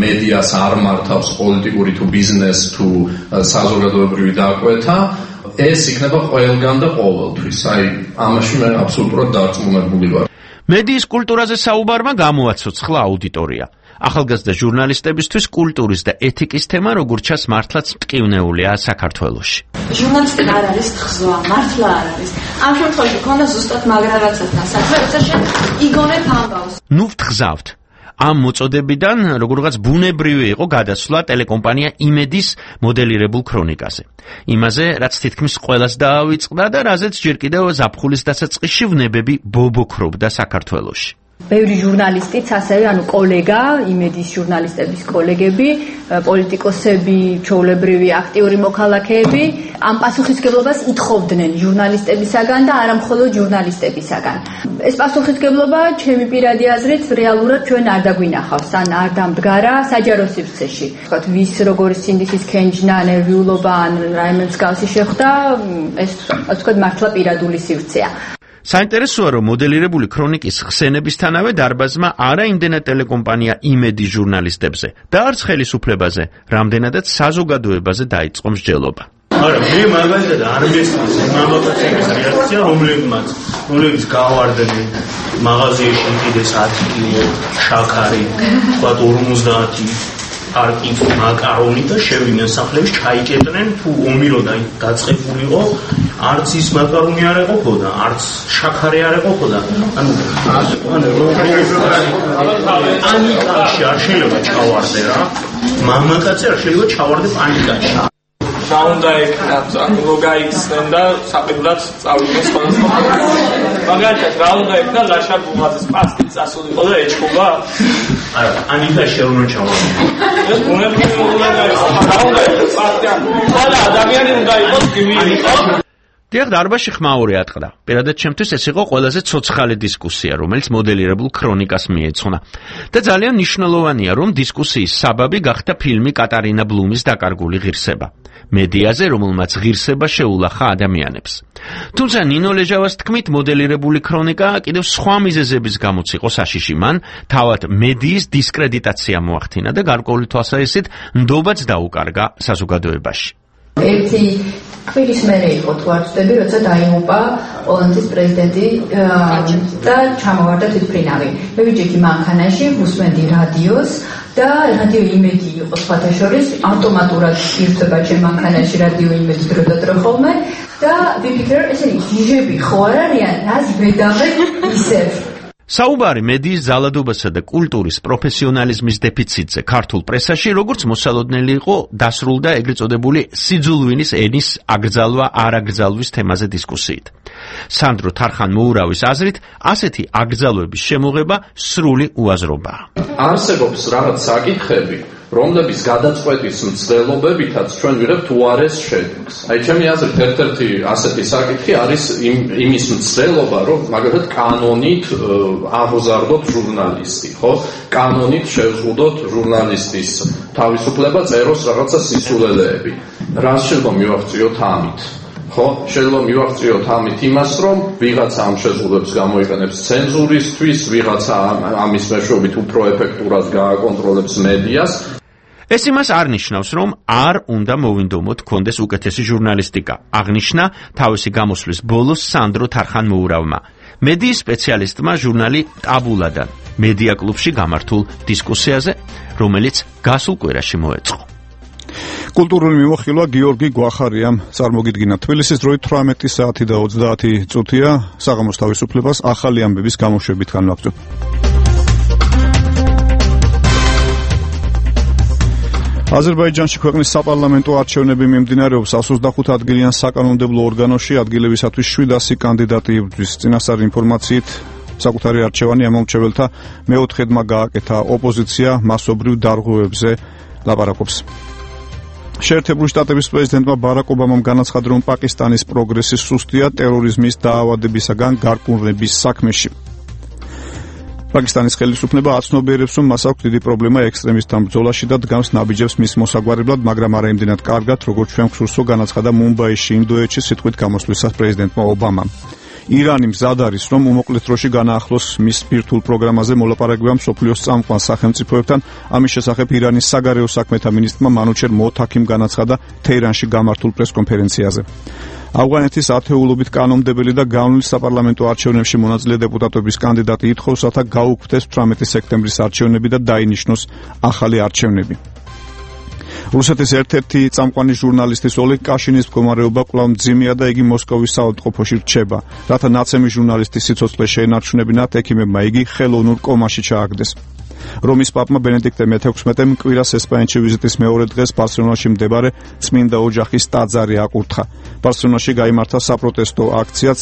მედიას არ მართავს პოლიტიკური თუ ბიზნეს თუ საზოგადოებრივი დაკვეთა. ეს იქნება ყველგან და ყოველთვის. აი, ამაში მე აბსოლუტურად დარწმუნებული ვარ. მედიის კულტურაზე საუბარმა გამოაცოცხლა აუდიტორია. ახალგაზრდა ჟურნალისტებისთვის კულტურის და ეთიკის თემა როგორც ჩანს მართლაც მტკივნეულია საქართველოში. ჟურნალისტიკა არ არის ხზვა, მართლა არ არის. ამ შემთხვევაში ქონდა ზუსტად მაგრრაღაცასთან საქმე, როცა შენ იგონებ ამბავს. ნუ ვთხზავთ. ამ მოწოდებიდან როგორღაც ბუნებრივი იყო გადასვლა ტელეკომპანია იმედის მოდელირებულ ქრონიკაზე. იმაზე, რაც თითქმის ყველას დაავიწყდა და რაზეც ჯერ კიდევ ზაფხულის დასაწყისში ვნებები ბობოქრობდა საქართველოში. ბევრი ჟურნალისტიც, ასევე კოლეგა, იმედის ჟურნალისტების კოლეგები, პოლიტიკოსები, ჩვეულებრივი აქტიური მოქალაქეები ამ პასუხისმგებლობას ითხოვდნენ ჟურნალისტებისაგან და არა მხოლოდ ჟურნალისტებისაგან. ეს პასუხისმგებლობა, ჩემი პირადი აზრით, რეალურად ჩვენ არ დაგვინახავს, ან არ დამდგარა საჯარო სივრცეში. ვთქვათ, ვის როგორი სინდისის ქენჯნა, ნერვიულობა ან რაიმე მსგავსი შეხვდა, ეს ვთქვათ, მართლა პირადული სივრცეა. საინტერესოა, რომ მოდელირებული ქრონიკის ხსენებისთანავე დარბაზმა არა იმდენად ტელეკომპანია იმედის ჟურნალისტებზე და არც ხელისუფლებაზე, რამდენადაც საზოგადოებაზე დაიწყო მსჯელობა. არა, მე მაგალითად არ მესმის მამაკაცების რეაქცია, რომლებიც გავარდნენ მაღაზიაში კიდეს 10 კილო შაქარი, თქვათ 50 არკით მაკარონი და შევიდნენ სახლებში, ჩაიკეტნენ, თუ ომირო დაწყებულიყო, არც ის მაკარონი არ ეყოფოდა, არც შაქარი არ ეყოფოდა. პანიკაში არ შეიძლება ჩავარდე რა. მამაკაცი არ შეიძლება ჩავარდე პანიკაში. რა უნდა ეკნათ, ლოგაიცნენ და საყიდლად წავიდნენ სხვადასხვა. მაგალითად, რა უნდა ეკნათ, ლაშარ ბუღაძის პასტით წასულიყო და ეჩხუბა? არა, ანიკაში არ უნდა ჩავარდე. ეს ბუნებრივი უნდა იყოს. რა უნდა ეკნათ, პასტიან. ყველა ადამიანი უნდა იყოს გივილი, ხო? დიახ, დარბაზში ხმაური ატყდა. პირადად ჩემთვის ეს იყო ყველაზე ცოცხალი დისკუსია, რომელიც მოდელირებულ ქრონიკას მიეძღვნა. და ძალიან მნიშვნელოვანია, რომ დისკუსიის საბაბი გახდა ფილმი კატარინა ბლუმის დაკარგული ღირსება. მედიაზე, რომელმაც ღირსება შეულახა ადამიანებს. თუმცა ნინო ლეჟავას თქმით, მოდელირებული ქრონიკა კიდევ სხვა მიზეზების გამოც იყო საშიში. მან თავად მედიის დისკრედიტაცია მოახდინა და გარკვეული თვალსაზრისით ნდობაც დაუკარგა საზოგადოებაში. ერთი კვირის მერე იყო თუ არ ვწდები, როცა დაიღუპა პოლონეთის პრეზიდენტი და ჩამოვარდა თვითმფრინავი. მე ვიჯექი მანქანაში, ვუსმენდი რადიოს და რადიო იმედი იყო სხვათა შორის, ავტომატურად ირთვება ჩემ მანქანაში რადიო იმედი დრო და დრო ხოლმე და ვიფიქრე, ესე იგი, ჯიჟები ხო არ არიან, რაც ვედავე ისევ. საუბარი მედიის ძალადობასა და კულტურის პროფესიონალიზმის დეფიციტზე ქართულ პრესაში, როგორც მოსალოდნელი იყო დასრულდა ეგრეთ წოდებული სიძულვინის ენის აგრძალვა-არაგრძალვის თემაზე დისკუსიით. სანდრო თარხან-მოურავის აზრით, ასეთი აგრძალვების შემოღება სრული უაზრობაა. არსებობს რაღაც საკითხები, რომლების გადაწყვეტის მცდელობებითაც ჩვენ ვიღებთ უარეს შედეგს. აი ჩემი აზრით ერთ-ერთი ასეთი საკითხი არის იმის მცდელობა, რომ მაგალითად კანონით აღზარდოთ ჟურნალისტი, ხო? კანონით შევზღუდოთ ჟურნალისტის თავისუფლება წეროს რაღაცა სისულელეები. რას შეიძლება მივაღწიოთ ამით? ხო, შეიძლება მივაღწიოთ ამით იმას, რომ ვიღაცა ამ შეზღუდვებს გამოიყენებს ცენზურისთვის, ვიღაცა ამის მეშვეობით უფრო ეფექტურად გააკონტროლებს მედიას. ეს იმას არ ნიშნავს, რომ არ უნდა მოვინდომოთ კონდეს უკეთესი ჟურნალისტიკა. აღნიშნა თავისი გამოსვლის ბოლოს სანდრო თარხან-მოურავმა. მედიის სპეციალისტმა ჟურნალი ტაბულადან მედია კლუბში გამართულ დისკუსიაზე, რომელიც გასულ კვირაში მოეწყო. კულტურული მიმოხილვა გიორგი გვახარიამ წარმოგიდგინა. თბილისის დროით 18 საათი და 30 წუთია. საღამოს თავისუფლებას ახალი ამბების გამოშვებით განვაგრძობ. აზერბაიჯანში ქვეყნის საპარლამენტო არჩევნები მიმდინარეობს. 125 ადგილიან საკანონმდებლო ორგანოში ადგილებისათვის 700 კანდიდატი იბრძვის. წინასწარი ინფორმაციით საკუთარი არჩევანი ამომრჩეველთა მეოთხედმა გააკეთა. ოპოზიცია მასობრივ დარღვევებზე ლაპარაკობს. შეერთებული შტატების პრეზიდენტმა ბარაკ ობამამ განაცხადა, რომ პაკისტანის პროგრესი სუსტია ტერორიზმის დაავადებისაგან გარყვნების საქმეში. პაკისტანის ხელისუფლება აცნობიერებს, რომ მას აქვს დიდი პრობლემა ექსტრემისტთან ბრძოლაში და დგამს ნაბიჯებს მის მოსაგვარებლად, მაგრამ არა იმდენად კარგად, როგორც ჩვენ გვსურსო, განაცხადა მუმბაიში, ინდოეთში სიტყვით გამოსვლისას პრეზიდენტმა ობამამ. ირანი მზად არის, რომ უმოკლეს დროში განაახლოს მის ბირთვულ პროგრამაზე მოლაპარაკება მსოფლიოს წამყვან სახელმწიფოებთან. ამის შესახებ ირანის საგარეო საქმეთა მინისტრმა მანუჩერ მოთაქიმ განაცხადა თეირანში გამართულ პრესკონფერენციაზე. ავღანეთის ათეულობით კანონმდებელი და განვლილ საპარლამენტო არჩევნებში მონაწილე დეპუტატების კანდიდატი ითხოვს, რათა გაუქმდეს 18 სექტემბრის არჩევნები და დაინიშნოს ახალი არჩევნები. რუსეთის ერთ-ერთი წამყვანი ჟურნალისტის ოლეგ კაშინის მდგომარეობა კვლავ მძიმეა და იგი მოსკოვის საავადმყოფოში რჩება. რათა ნაცემი ჟურნალისტის სიცოცხლე შეენარჩუნებინათ, ექიმებმა იგი ხელოვნურ კომაში ჩააგდეს. რომის პაპმა ბენედიქტე მე-16-მ კვირას ესპანეთში ვიზიტის მეორე დღეს ბარსელონაში მდებარე წმინდა ოჯახის ტაძარი აკურთხა. ბარსელონაში გაიმართა საპროტესტო აქციაც,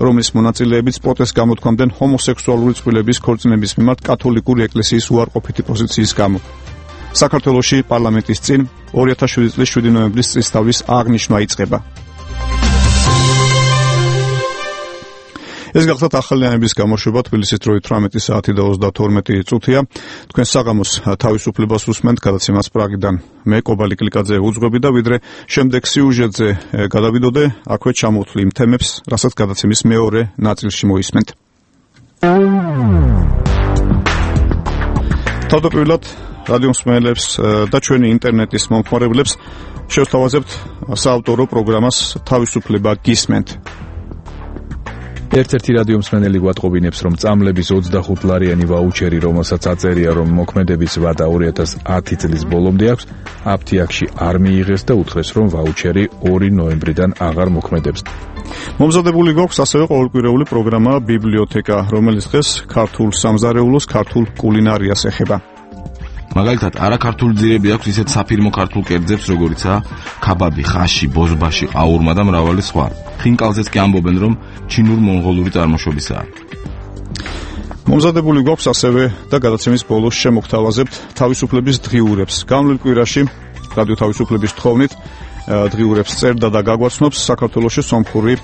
რომლის მონაწილეებიც პროტესტს გამოთქვამდნენ ჰომოსექსუალური წყვილების ქორწინების მიმართ კათოლიკური ეკლესიის უარყოფითი პოზიციის გამო. საქართველოში პარლამენტის წინ 2007 წლის 7 ნოემბრის წლისთავის აღნიშვნა იწყება. ეს გახლავთ ახალი ამბების გამოშვება თბილისის დროით 18 საათი და 32 წუთია. თქვენ საღამოს თავისუფლებას უსმენთ გადაცემას პრაგიდან. მე კობალი კლიკაძე უძღვები და ვიდრე შემდეგ სიუჟეტზე გადავიდოდე, აქვე ჩამოვთვლი იმ თემებს, რასაც გადაცემის მეორე ნაწილში მოისმენთ. თავდაპირველად რადიო მსმენელებს და ჩვენი ინტერნეტის მომხმარებლებს შევსთავაზებთ საავტორო პროგრამას თავისუფლება გისმენთ. ერთ-ერთი რადიო მსმენელი გვატყობინებს, რომ წამლების 25 ლარიანი ვაუჩერი, რომელსაც აწერია, რომ მოქმედების ვადა 2010 წლის ბოლომდე აქვს, აფთიაქში არ მიიღეს და უთხრეს, რომ ვაუჩერი 2 ნოემბრიდან აღარ მოქმედებს. მომზადებული გვაქვს ასევე ყოველკვირეული პროგრამა ბიბლიოთეკა, რომელიც დღეს ქართულ სამზარეულოს, ქართულ კულინარიას ეხება. მაგალითად, არაქართული ძირები აქვს ისეთ საფირმო ქართულ კერძებს, როგორიცაა ქაბაბი, ხაში, ბოჟბაში, ყაურმა და მრავალი სხვა. ხინკალზეც კი ამბობენ, რომ ჩინურ-მონღოლური წარმოშობისაა. მომზადებული გვაქვს ასევე და გადაცემის ბოლოს შემოგთავაზებთ თავისუფლების დღიურებს. განვლილ კვირაში რადიო თავისუფლების თხოვნით დღიურებს წერდა და გაგვაცნობს საქართველოში სომხური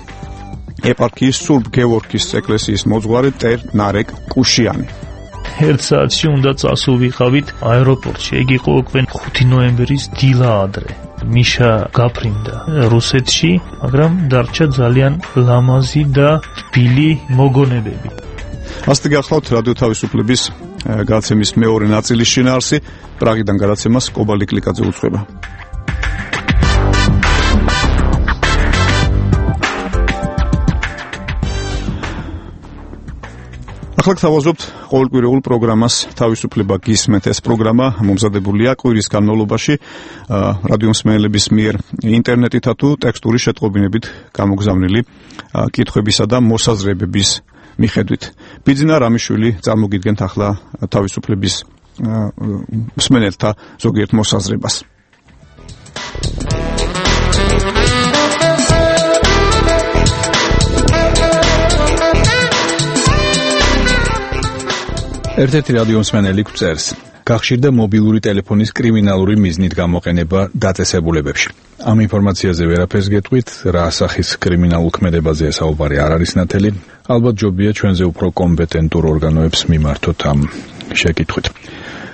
ეპარქიის სურბ გევორგის ეკლესიის მოძღვარი ტერ ნარეკ კუშიანი. 1 საათში უნდა წასულიყავით აეროპორტში. ეგ იყო უკვე 5 ნოემბრის დილა ადრე. მიშა გაფრინდა რუსეთში, მაგრამ დარჩა ძალიან ლამაზი და თბილი მოგონებები. ასეთი გახლავთ რადიო თავისუფლების გადაცემის მეორე ნაწილის შინაარსი. პრაღიდან გადაცემას კობალი კლიკაძე უძღვება. ახლა გთავაზობთ ყოველკვირეულ პროგრამას თავისუფლება გისმენთ. ეს პროგრამა მომზადებულია კვირის განმავლობაში რადიო მსმენელების მიერ ინტერნეტითა თუ ტექსტური შეტყობინებით გამოგზავნილი კითხვებისა და მოსაზრებების მიხედვით. ბიძინა რამიშვილი წარმოგიდგენთ ახლა თავისუფლების მსმენელთა ზოგიერთ მოსაზრებას. ერთ-ერთი რადიო მსმენელი გვწერს: გახშირდა მობილური ტელეფონის კრიმინალური მიზნით გამოყენება დაწესებულებებში. ამ ინფორმაციაზე ვერაფერს გეტყვით, რა სახის კრიმინალურ ქმედებაზეა საუბარი არ არის ნათელი. ალბათ ჯობია ჩვენზე უფრო კომპეტენტურ ორგანოებს მიმართოთ ამ შეკითხვით.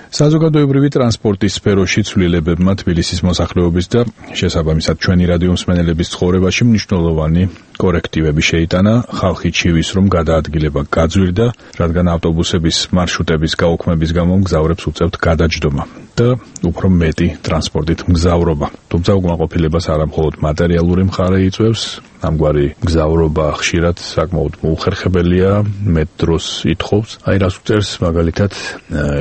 საზოგადოებრივი ტრანსპორტის სფეროში ცვლილებებმა თბილისის მოსახლეობის და შესაბამისად ჩვენი რადიო მსმენელების ცხოვრებაში მნიშვნელოვანი კორექტივები შეიტანა. ხალხი ჩივის, რომ გადაადგილება გაძვირდა, რადგან ავტობუსების მარშრუტების გაუქმების გამო მგზავრებს უწევთ გადაჯდომა და უფრო მეტი ტრანსპორტით მგზავრობა. თუმცა უკმაყოფილებას არა მხოლოდ მატერიალური მხარე იწვევს, ამგვარი მგზავრობა ხშირად საკმაოდ მოუხერხებელია, მეტ დროს ითხოვს. აი რას უწერს მაგალითად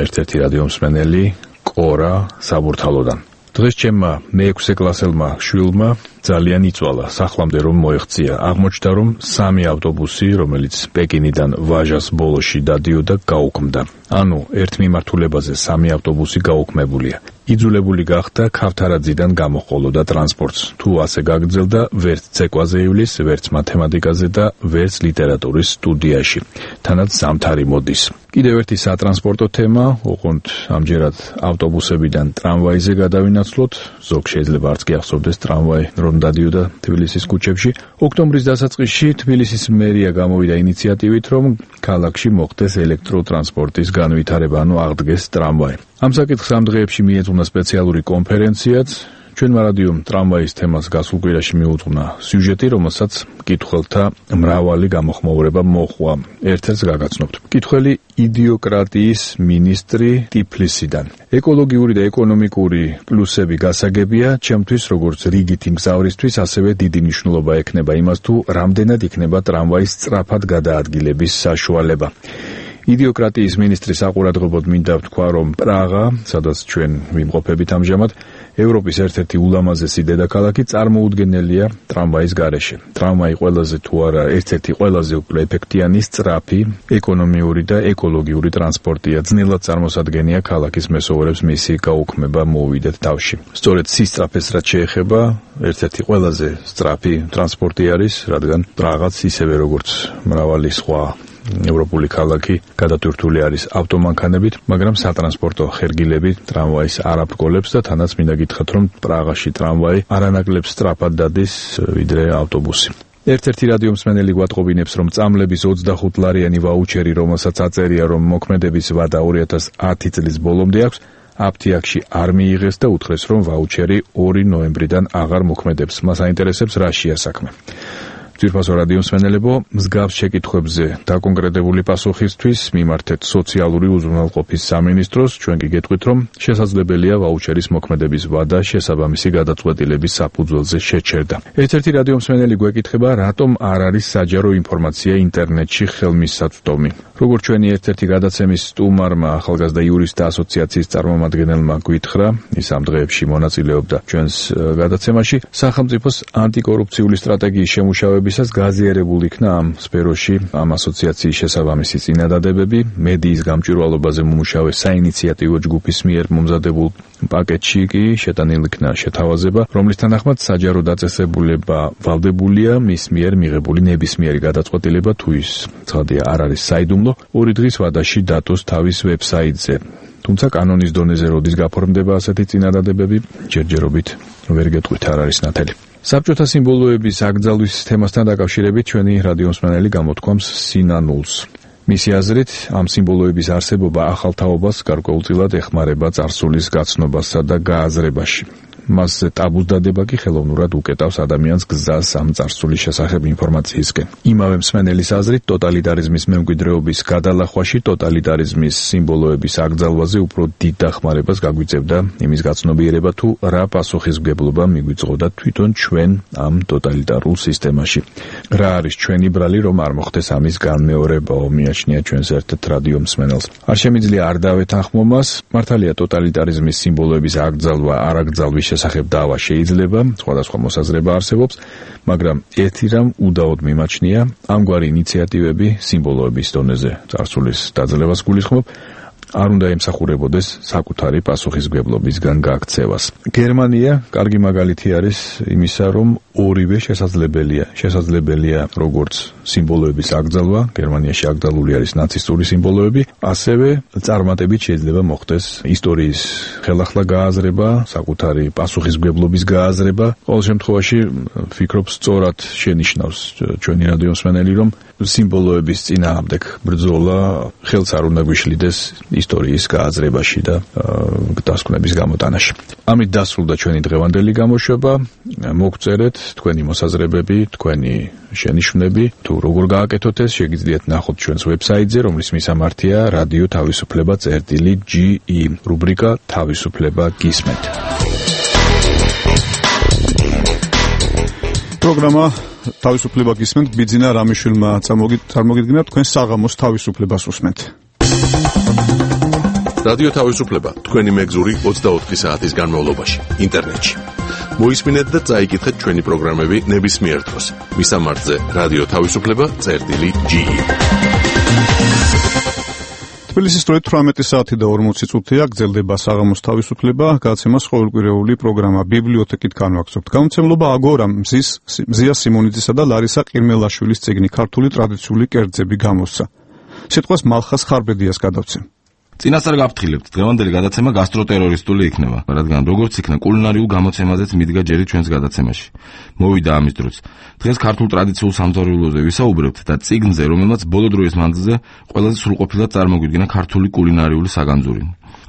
ერთ-ერთი რადიო მსმენელი კორა საბურთალოდან. დღეს ჩემმა მე-6 კლასელმა შვილმა ძალიან იწვალა სახლამდე რომ მოეღწია. აღმოჩნდა რომ 3 ავტობუსი, რომელიც პეკინიდან ვაჟას ბოლოში დადიოდა, გაუქმდა. ანუ ერთ მიმართულებაზე 3 ავტობუსი გაუქმებულია. იძულებული გახდა ქავთარაძიდან გამოჰყოლოდა ტრანსპორტს. თუ ასე გაგრძელდა, ვერც ცეკვაზე ივლის, ვერც მათემატიკაზე და ვერც ლიტერატურის სტუდიაში. თანაც ზამთარი მოდის. კიდევ ერთი სატრანსპორტო თემა, ოღონდ ამჯერად ავტობუსებიდან ტრამვაიზე გადავინაცვლოთ. ზოგ შეიძლება არც კი ახსოვდეს ტრამვაი რომ დადიოდა თბილისის ქუჩებში. ოქტომბრის დასაწყისში თბილისის მერია გამოვიდა ინიციატივით, რომ ქალაქში მოხდეს ელექტროტრანსპორტის განვითარება, ანუ აღდგეს ტრამვაი. ამ საკითხს ამ დღეებში მიეძღვნა სპეციალური კონფერენციაც. ჩვენმა რადიომ ტრამვაის თემას გასულ კვირაში მიუძღვნა სიუჟეტი, რომელსაც მკითხველთა მრავალი გამოხმაურება მოჰყვა. ერთ-ერთს გაგაცნობთ. მკითხველი იდიოკრატიის მინისტრი ტიფლისიდან. ეკოლოგიური და ეკონომიკური პლუსები გასაგებია, ჩემთვის როგორც რიგითი მგზავრისთვის ასევე დიდი მნიშვნელობა ექნება იმას, თუ რამდენად იქნება ტრამვაის სწრაფად გადაადგილების საშუალება. იდიოკრატიის მინისტრის საყურადღებოდ მინდა ვთქვა, რომ პრაღა, სადაც ჩვენ ვიმყოფებით ამჟამად, ევროპის ერთ-ერთი ულამაზესი დედაქალაქი, წარმოუდგენელია ტრამვაის გარეშე. ტრამვაი ყველაზე თუ არა ერთ-ერთი ყველაზე უფრო ეფექტიანი, სწრაფი, ეკონომიური და ეკოლოგიური ტრანსპორტია. ძნელად წარმოსადგენია ქალაქის მესოვრებს მისი გაუქმება მოუვიდეთ თავში. სწორედ სისწრაფეს რაც შეეხება, ერთ-ერთი ყველაზე სწრაფი ტრანსპორტი არის, რადგან პრაღაც ისევე როგორც მრავალი სხვა ევროპული ქალაქი გადატვირთული არის ავტომანქანებით, მაგრამ სატრანსპორტო ხერგილები ტრამვაის არ აბრკოლებს და თანაც მინდა გითხრათ, რომ პრაღაში ტრამვაი არანაკლებ სწრაფად დადის ვიდრე ავტობუსი. ერთ-ერთი რადიო მსმენელი გვატყობინებს, რომ წამლების 25 ლარიანი ვაუჩერი, რომელსაც აწერია, რომ მოქმედების ვადა 2010 წლის ბოლომდე აქვს, აფთიაქში არ მიიღეს და უთხრეს, რომ ვაუჩერი 2 ნოემბრიდან აღარ მოქმედებს. მას აინტერესებს რა შეა საქმე. ძვირფასო რადიო მსმენელებო, მსგავს შეკითხვებზე დაკონკრეტებული პასუხისთვის მიმართეთ სოციალური უზრუნველყოფის სამინისტროს. ჩვენ კი გეტყვით, რომ შესაძლებელია ვაუჩერის მოქმედების ვადა შესაბამისი გადაწყვეტილების საფუძველზე შეჩერდა. ერთ-ერთი რადიო მსმენელი გვეკითხება, რატომ არ არის საჯარო ინფორმაცია ინტერნეტში ხელმისაწვდომი. როგორც ჩვენი ერთ-ერთი გადაცემის სტუმარმა ახალგაზრდა იურისტთა ასოციაციის წარმომადგენელმა გვითხრა, ის ამ დღეებში მონაწილეობდა ჩვენს გადაცემაში, სახელმწიფოს ანტიკორუფციული სტრატეგიის შემუშავებისას გაზიარებულ იქნა ამ სფეროში ამ ასოციაციის შესაბამისი წინადადებები. მედიის გამჭვირვალობაზე მომუშავე საინიციატივო ჯგუფის მიერ მომზადებულ პაკეტში კი შეტანილი იქნა შეთავაზება, რომლის თანახმად საჯარო დაწესებულება ვალდებულია მის მიერ მიღებული ნებისმიერი გადაწყვეტილება, თუ ის ცხადია არ არის საიდუმლო, 2 დღის ვადაში დატოს თავის ვებსაიტზე. თუმცა კანონის დონეზე როდის გაფორმდება ასეთი წინადადებები, ჯერჯერობით ვერ გეტყვით, არ არის ნათელი. საბჭოთა სიმბოლოების აკრძალვის თემასთან დაკავშირებით ჩვენი რადიო მსმენელი გამოთქვამს სინანულს. მისი აზრით, ამ სიმბოლოების არსებობა ახალ თაობას გარკვეულწილად ეხმარება წარსულის გაცნობასა და გააზრებაში. მასზე ტაბუს დადება კი ხელოვნურად უკეტავს ადამიანს გზას ამ წარსულის შესახებ ინფორმაციისკენ. იმავე მსმენელის აზრით, ტოტალიტარიზმის მემკვიდრეობის გადალახვაში ტოტალიტარიზმის სიმბოლოების აკრძალვაზე უფრო დიდ დახმარებას გაგვიწევდა იმის გაცნობიერება, თუ რა პასუხისმგებლობა მიგვიწყოდა თვითონ ჩვენ ამ ტოტალიტარულ სისტემაში. რა არის ჩვენი ბრალი, რომ არ მოხდეს ამის განმეორებაო, მიაჩნია ჩვენს ერთ რადიო მსმენელს. არ შემიძლია არ დავეთანხმო მას, მართალია ტოტალიტარიზმის სიმბოლოების აკრძალვა არაკრძალვის შესახებ დავა შეიძლება, სხვადასხვა მოსაზრება არსებობს, მაგრამ ერთი რამ უდაოდ მიმაჩნია, ამგვარი ინიციატივები სიმბოლოების დონეზე წარსულის დაძლევას გულისხმობ, არ უნდა ემსახურებოდეს საკუთარი პასუხისმგებლობისგან გაქცევას. გერმანია კარგი მაგალითი არის იმისა, რომ ორივე შესაძლებელია როგორც სიმბოლოების აკრძალვა, გერმანიაში აკრძალული არის ნაცისტური სიმბოლოები, ასევე წარმატებით შეიძლება მოხდეს ისტორიის ხელახლა გააზრება, საკუთარი პასუხისმგებლობის გააზრება. ყოველ შემთხვევაში ვფიქრობ, სწორად შენიშნავს ჩვენი რადიო მსმენელი, რომ სიმბოლოების წინააღმდეგ ბრძოლა ხელს არ უნდა გვიშლიდეს ისტორიის გააზრებაში და დასკვნების გამოტანაში. ამით დასრულდა ჩვენი დღევანდელი გამოშვება. მოგწერეთ თქვენი მოსაზრებები, თქვენი შენიშვნები, თუ როგორ გააკეთოთ ეს, შეგიძლიათ ნახოთ ჩვენს ვებსაიტზე, რომლის მისამართია რადიო თავისუფლება.ge, რუბრიკა თავისუფლება გისმენთ. პროგრამა თავისუფლება გისმენთ, ბიძინა რამიშვილმა წარმოგიდგინა, თქვენ საღამოს თავისუფლებას უსმენთ. რადიო თავისუფლება, თქვენი მეგზური 24 საათის განმავლობაში, ინტერნეტში. მოისმინეთ და წაიკითხეთ ჩვენი პროგრამები ნებისმიერ დროს. მისამართზე რადიო თავისუფლება.ge. თბილისის დროით 18 საათი და 40 წუთია გრძელდება საღამოს თავისუფლება, გადაცემას ყოველკვირეული პროგრამა ბიბლიოთეკით განვაგრძობთ. გამოცემლობა აგორა მზია სიმონიძისა და ლარისა ყირმელაშვილის წიგნი ქართული ტრადიციული კერძები გამოსცა. სიტყვას მალხას ხარბედიას გადავცემ. წინასწარ გაფრთხილებთ, დღევანდელი გადაცემა გასტროტერორისტული იქნება, რადგან როგორც იქნა კულინარიულ გამოცემაზეც მიდგა ჯერი ჩვენს გადაცემაში. მოვიდა ამის დროც. დღეს ქართულ ტრადიციულ სამზარეულოზე ვისაუბრებთ და წიგნზე, რომელმაც ბოლო დროის მანძილზე ყველაზე სრულყოფილად წარმოგვიდგინა ქართული კულინარიული საგანძური.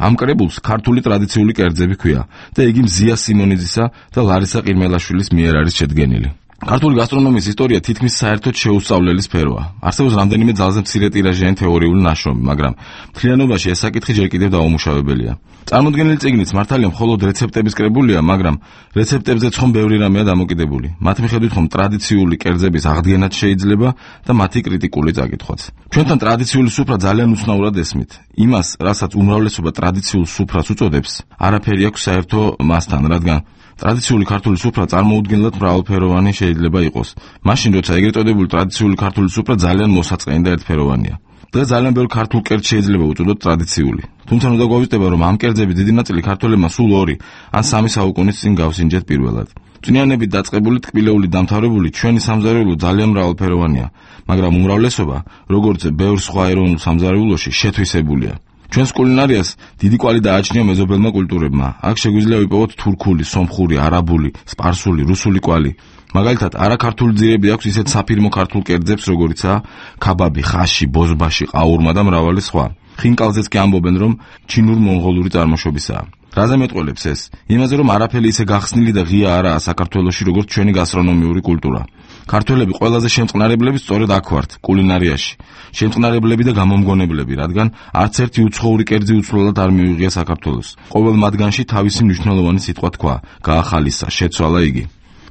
ამ კრებულს ქართული ტრადიციული კერძები ჰქვია და იგი მზია სიმონიძისა და ლარისა ყირმელაშვილის მიერ არის შედგენილი. ქართული გასტრონომიის ისტორია თითქმის საერთოდ შეუსწავლელი სფეროა. არსებობს რამდენიმე ძალზე მცირე ტირაჟიანი თეორიული ნაშრომი, მაგრამ მთლიანობაში ეს საკითხი ჯერ კიდევ დაუმუშავებელია. წარმოდგენილი წიგნიც მართალია მხოლოდ რეცეპტების კრებულია, მაგრამ რეცეპტებზეც ხომ ბევრი რამეა დამოკიდებული. მათ მიხედვით ხომ ტრადიციული კერძების აღდგენაც შეიძლება და მათი კრიტიკული წაკითხვაც. ჩვენთან ტრადიციული სუფრა ძალიან უცნაურად ესმით. იმას, რასაც უმრავლესობა ტრადიციულ სუფრას უწოდებს, არაფერი აქვს საერთო მასთან, რადგან ტრადიციული ქართული სუფრა წარმოუდგენლად მრავალფეროვანი შეიძლება იყოს. მაშინ, როცა ეგრეთ წოდებული ტრადიციული ქართული სუფრა ძალიან მოსაწყენი და ერთფეროვანია. დღეს ძალიან ბევრ ქართულ კერძს შეიძლება უწოდოთ ტრადიციული. თუმცა უნდა გვავიწყდება, რომ ამ კერძების დიდი ნაწილი ქართველებმა სულ 2 ან 3 საუკუნის წინ გავსინჯეთ პირველად. წვნიანებით დაწყებული ტკბილეული დამთავრებული ჩვენი სამზარეულო ძალიან მრავალფეროვანია, მაგრამ უმრავლესობა, როგორც ბევრ სხვა ეროვნულ სამზარეულოში, შეთვისებულია. ჩვენს კულინარიას დიდი კვალი დააჩნია მეზობელმა კულტურებმა. აქ შეგვიძლია ვიპოვოთ თურქული, სომხური, არაბული, სპარსული, რუსული კვალი. მაგალითად, არაქართული ძირები აქვს ისეთ საფირმო ქართულ კერძებს, როგორიცაა ქაბაბი, ხაში, ბოზბაში, ყაურმა და მრავალი სხვა. ხინკალზეც კი ამბობენ, რომ ჩინურ-მონღოლური წარმოშობისაა. რაზე მეტყველებს ეს? იმაზე, რომ არაფერი ისე გახსნილი და ღია არაა საქართველოში, როგორც ჩვენი გასტრონომიული კულტურა. ქართველები ყველაზე შემწყნარებლები სწორედ აქ ვართ, კულინარიაში. შემწყნარებლები და გამომგონებლები, რადგან არც ერთი უცხოური კერძი უცვლელად არ მიუღია საქართველოს. ყოველ მათგანში თავისი მნიშვნელოვანი სიტყვა თქვა, გაახალისა, შეცვალა იგი.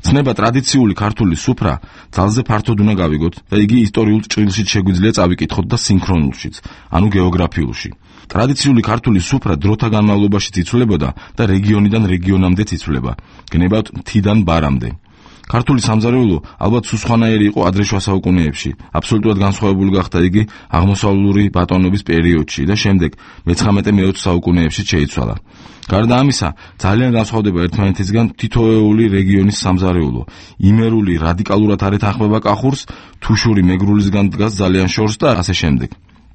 ცნება ტრადიციული ქართული სუფრა ძალზე ფართოდ უნდა გავიგოთ და იგი ისტორიულ ჭრილშიც შეგვიძლია წავიკითხოთ და სინქრონულშიც, ანუ გეოგრაფიულში. ტრადიციული ქართული სუფრა დროთა განმავლობაში იცვლებოდა და რეგიონიდან რეგიონამდე იცვლება, გნებავთ მთიდან ბარამდე. ქართული სამზარეულო ალბათ სუსხანაერი იყო ადრე შუა საუკუნეებში. აბსოლუტურად განსხვავებული გახდა იგი აღმოსავლური ბატონობის პერიოდში და შემდეგ მე-19-მე-20 საუკუნეებში შეიცვალა. გარდა ამისა, ძალიან განსხვავდება ერთმანეთისგან თითოეული რეგიონის სამზარეულო. იმერული რადიკალურად არ ეთანხმება კახურს, თუშური მეგრულისგან დგას ძალიან შორს და ასე შემდეგ.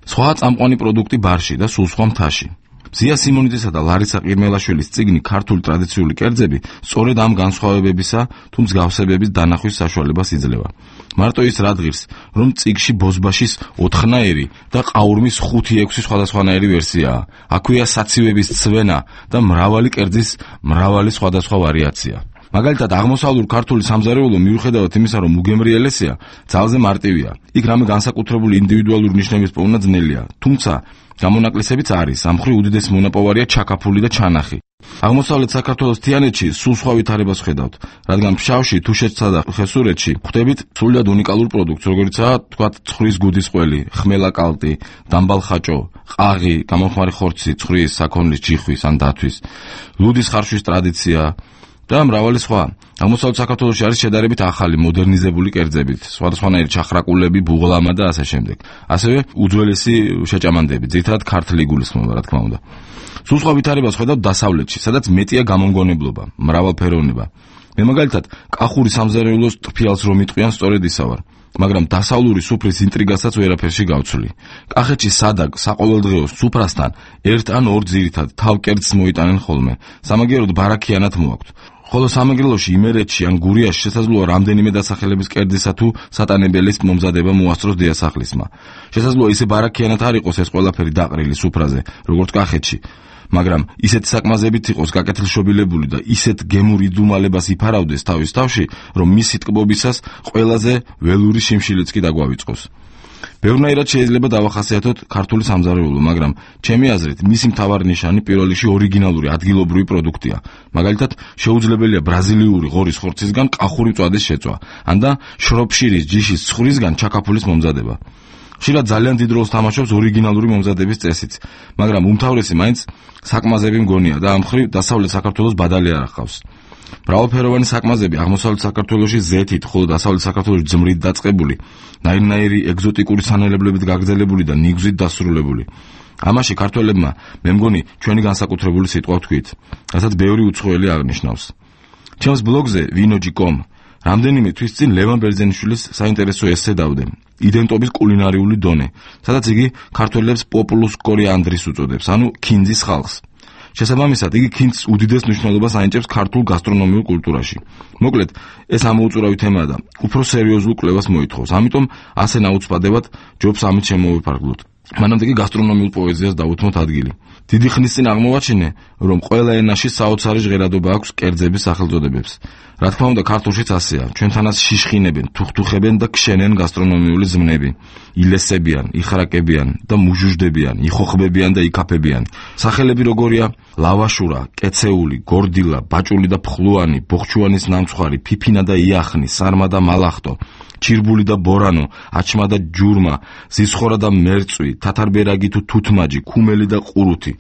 სხვა წამყვანი პროდუქტი ბარში და სულ სხვა მთაში. ზია სიმონიძესა და ლარისა ყირმელაშვილის წიგნი ქართული ტრადიციული კერძები სწორედ ამ განსხვავებებისა თუ მსგავსებების დანახვის საშუალებას იძლევა. მარტო ის რა დღირს, რომ წიგში ბოზბაშის 4-ნაირი და ყაურმის 5-6 სხვადასხვანაირი ვერსიაა. აქვეა საცივების ცვენა და მრავალი კერძის მრავალი სხვადასხვა ვარიაცია. მაგალითად, აღმოსავლურ ქართული სამზარეულო მიუხედავად იმისა, რომ უგემრიელესია, ძალზე მარტივია. იქ რამე განსაკუთრებული ინდივიდუალური ნიშნების პოვნა ძნელია, თუმცა გამონაკლისებიც არის. ამ მხრივ უდიდესი მონაპოვარია ჩაკაფული და ჩანახი. აღმოსავლეთ საქართველოს თიანეთში სულ სხვა ვითარებას ხედავთ, რადგან ფშავში, თუშეთსა და ხევსურეთში ხვდებით სრულიად უნიკალურ პროდუქტს, როგორიცაა თქვათ ცხრის გუდის ყველი, ხმელა კალტი, დამბალხაჭო, ყაღი, გამომხმარი ხორცი, ცხრის, საქონლის, ჯიხვის ან დათვის, ლუდის ხარშვის ტრადიცია და მრავალი სხვა. აღმოსავლეთ საქართველოში არის შედარებით ახალი მოდერნიზებული კერძებით, სხვადასხვანაირი ჩახრაკულები, ბუღლამა და ასე შემდეგ. ასევე უძველესი შეჭამანდები, ძირითადად ქართული გულისხმობა, რა თქმა უნდა. სულ სხვა ვითარებას ხედავთ დასავლეთში, სადაც მეტია გამომგონებლობა, მრავალფეროვნება. მე მაგალითად კახური სამზარეულოს ტფიალს რომ იტყვიან, სწორედ ისა ვარ. მაგრამ დასავლური სუფრის ინტრიგასაც ვერაფერში გავცვლი. კახეთში სადა საყოველდღეო სუფრასთან ერთ ან ორ ძირითად თავკერძს მოიტანენ ხოლმე. სამაგიეროდ ბარაქიანად მოაქვთ. ხოლო სამეგრელოში, იმერეთში ან გურიაში შესაძლოა რამდენიმე დასახელების კერძისა თუ სატანებელის მომზადება მოასწროს დიასახლისმა. შესაძლოა ისე ბარაქიანად არ იყოს ეს ყველაფერი დაყრილი სუფრაზე, როგორც კახეთში. მაგრამ ისეთი საკმაზებით იყოს გაკეთილშობილებული და ისეთ გემურ იდუმალებას იფარავდეს თავის თავში, რომ მისი ტკბობისას ყველაზე ველური შიმშილიც კი დაგვავიწყოს. ბევრნაირად შეიძლება დავახასიათოთ ქართული სამზარეულო, მაგრამ ჩემი აზრით მისი მთავარი ნიშანი პირველ რიგში ორიგინალური ადგილობრივი პროდუქტია. მაგალითად, შეუძლებელია ბრაზილიური ღორის ხორცისგან კახური მწვადის შეწვა, ან და შროფშირის ჯიშის ცხვრისგან ჩაკაფულის მომზადება. ხშირად ძალიან დიდ როლს თამაშობს ორიგინალური მომზადების წესიც, მაგრამ უმთავრესი მაინც საკმაზები მგონია და ამ მხრივ დასავლეთ საქართველოს ბადალი არ ახავს. მრავალფეროვანი საკმაზები აღმოსავლეთ საქართველოში ზეთით, ხოლო დასავლეთ საქართველოში ძმრით დაწყებული, ნაირ-ნაირი ეგზოტიკური სანელებლებით გაგრძელებული და ნიგვზით დასრულებული. ამაში ქართველებმა მე მგონი ჩვენი განსაკუთრებული სიტყვა ვთქვით, რასაც ბევრი უცხოელი აღნიშნავს. ჩემს ბლოგზე vinoji.com რამდენიმე თვის წინ ლევან ბერძენიშვილის საინტერესო ესე დავდე, იდენტობის კულინარიული დონე, სადაც იგი ქართველებს პოპულუს კორიანდრის უწოდებს, ანუ ქინძის ხალხს. შესაბამისად, იგი ქინძს უდიდეს მნიშვნელობას ანიჭებს ქართულ გასტრონომიულ კულტურაში. მოკლედ, ეს ამოუწურავი თემაა და უფრო სერიოზულ კვლევას მოითხოვს. ამიტომ ასე ნაუცბადებად ჯობს ამით შემოვიფარგლოთ. მანამდე კი გასტრონომიულ პოეზიას დავუთმოთ ადგილი. დიდი ხნის წინ აღმოვაჩინე, რომ ყველა ენაში საოცარი ჟღერადობა აქვს კერძების სახელწოდებებს. რა თქმა უნდა, ქართულშიც ასეა. ჩვენთანაც შიშხინებენ, თუხთუხებენ და ქშენენ გასტრონომიული ზმნები. ილესებიან, იხრაკებიან და მუჟუჟდებიან, იხოხბებიან და იქაფებიან. სახელები როგორია: ლავაშურა, კეცეული, გორდილა, ბაჭული და ფხლუანი, ბოხჩუანის ნამცხვარი, ფიფინა და იახნი, სარმა და მალახტო, ჩირბული და ბორანო, აჩმა და ჯურმა, ზისხორა და მერწვი, თათარბერაგი თუ თუთმაჯი, ქუმელი და ყურუთი.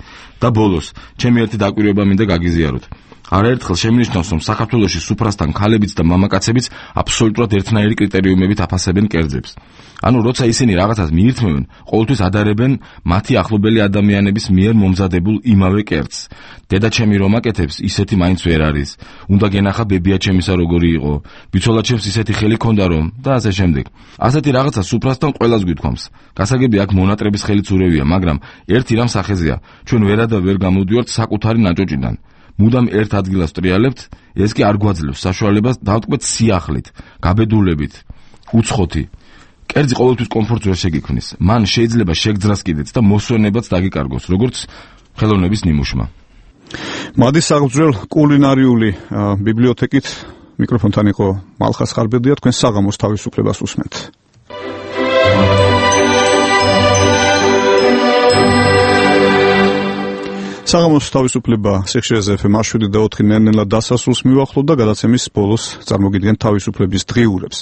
და ბოლოს, ჩემი ერთი დაკვირვება მინდა გაგიზიაროთ. არაერთხელ შემინიშნავს, რომ საქართველოში სუფრასთან ქალებიც და მამაკაცებიც აბსოლუტურად ერთნაირი კრიტერიუმებით აფასებენ კერძებს. ანუ როცა ისინი რაღაცას მიირთმევენ, ყოველთვის ადარებენ მათი ახლობელი ადამიანების მიერ მომზადებულ იმავე კერძს. დედაჩემი რომ აკეთებს, ისეთი მაინც ვერ არის. უნდა გენახა ბებიაჩემისა როგორი იყო, ბიცოლაჩემს ისეთი ხელი ქონდა რომ და ასე შემდეგ. ასეთი რაღაცა სუფრასთან ყველას გვითქვამს. გასაგები აქ მონატრების ხელიც ურევია, მაგრამ ერთი რამ სახეზეა, ჩვენ ვერადა ვერ გამოდივართ საკუთარი ნაჭოჭიდან. მუდამ ერთ ადგილას ვტრიალებთ, ეს კი არ გვაძლევს საშუალებას დავტყვეთ სიახლით, გაბედულებით, უცხოთი. კერძი ყოველთვის კომფორტს ვერ შეგიქმნის. მან შეიძლება შეგძრას კიდეც და მოსვენებაც დაგიკარგოს, როგორც ხელოვნების ნიმუშმა. მადის აღძვრელ კულინარიული ბიბლიოთეკით მიკროფონთან იყო მალხას ხარბედია, თქვენ საღამოს თავისუფლებას უსმენთ. საღამოს თავისუფლება სიხშირეზე FM 7 და 4 ნელ-ნელა დასასრულს მივახლოვთ და გადაცემის ბოლოს წარმოგიდგენთ თავისუფლების დღიურებს.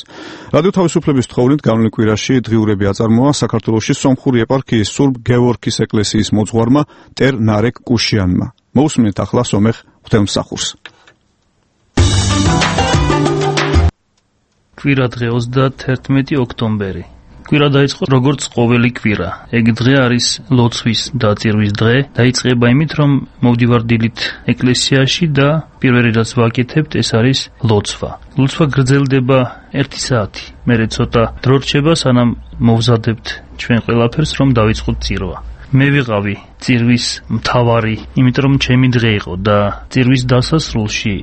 რადიო თავისუფლების თხოვნით განვლილ კვირაში დღიურები აწარმოა საქართველოში სომხური ეპარქიის სურბ გეორგის ეკლესიის მოძღვარმა ტერ ნარეკ კუშიანმა. მოусმინეთ ახლა სომეხ ღვთისმსახურს. კვირა დღე 31 ოქტომბერი. კვირა დაიწყო როგორც ყოველი კვირა. ეგ დღე არის ლოცვის დაწირვის დღე. დაიწყება იმით, რომ მოვდივარ დილით ეკლესიაში და პირველი რაც ვაკეთებთ, ეს არის ლოცვა. ლოცვა გრძელდება 1 საათი. მერე ცოტა დრო რჩება, სანამ მოვზადებთ ჩვენ ყველაფერს, რომ დავიწყოთ წირვა. მე ვიყავი წირვის მთავარი, იმიტომ რომ ჩემი დღე იყო და წირვის დასასრულში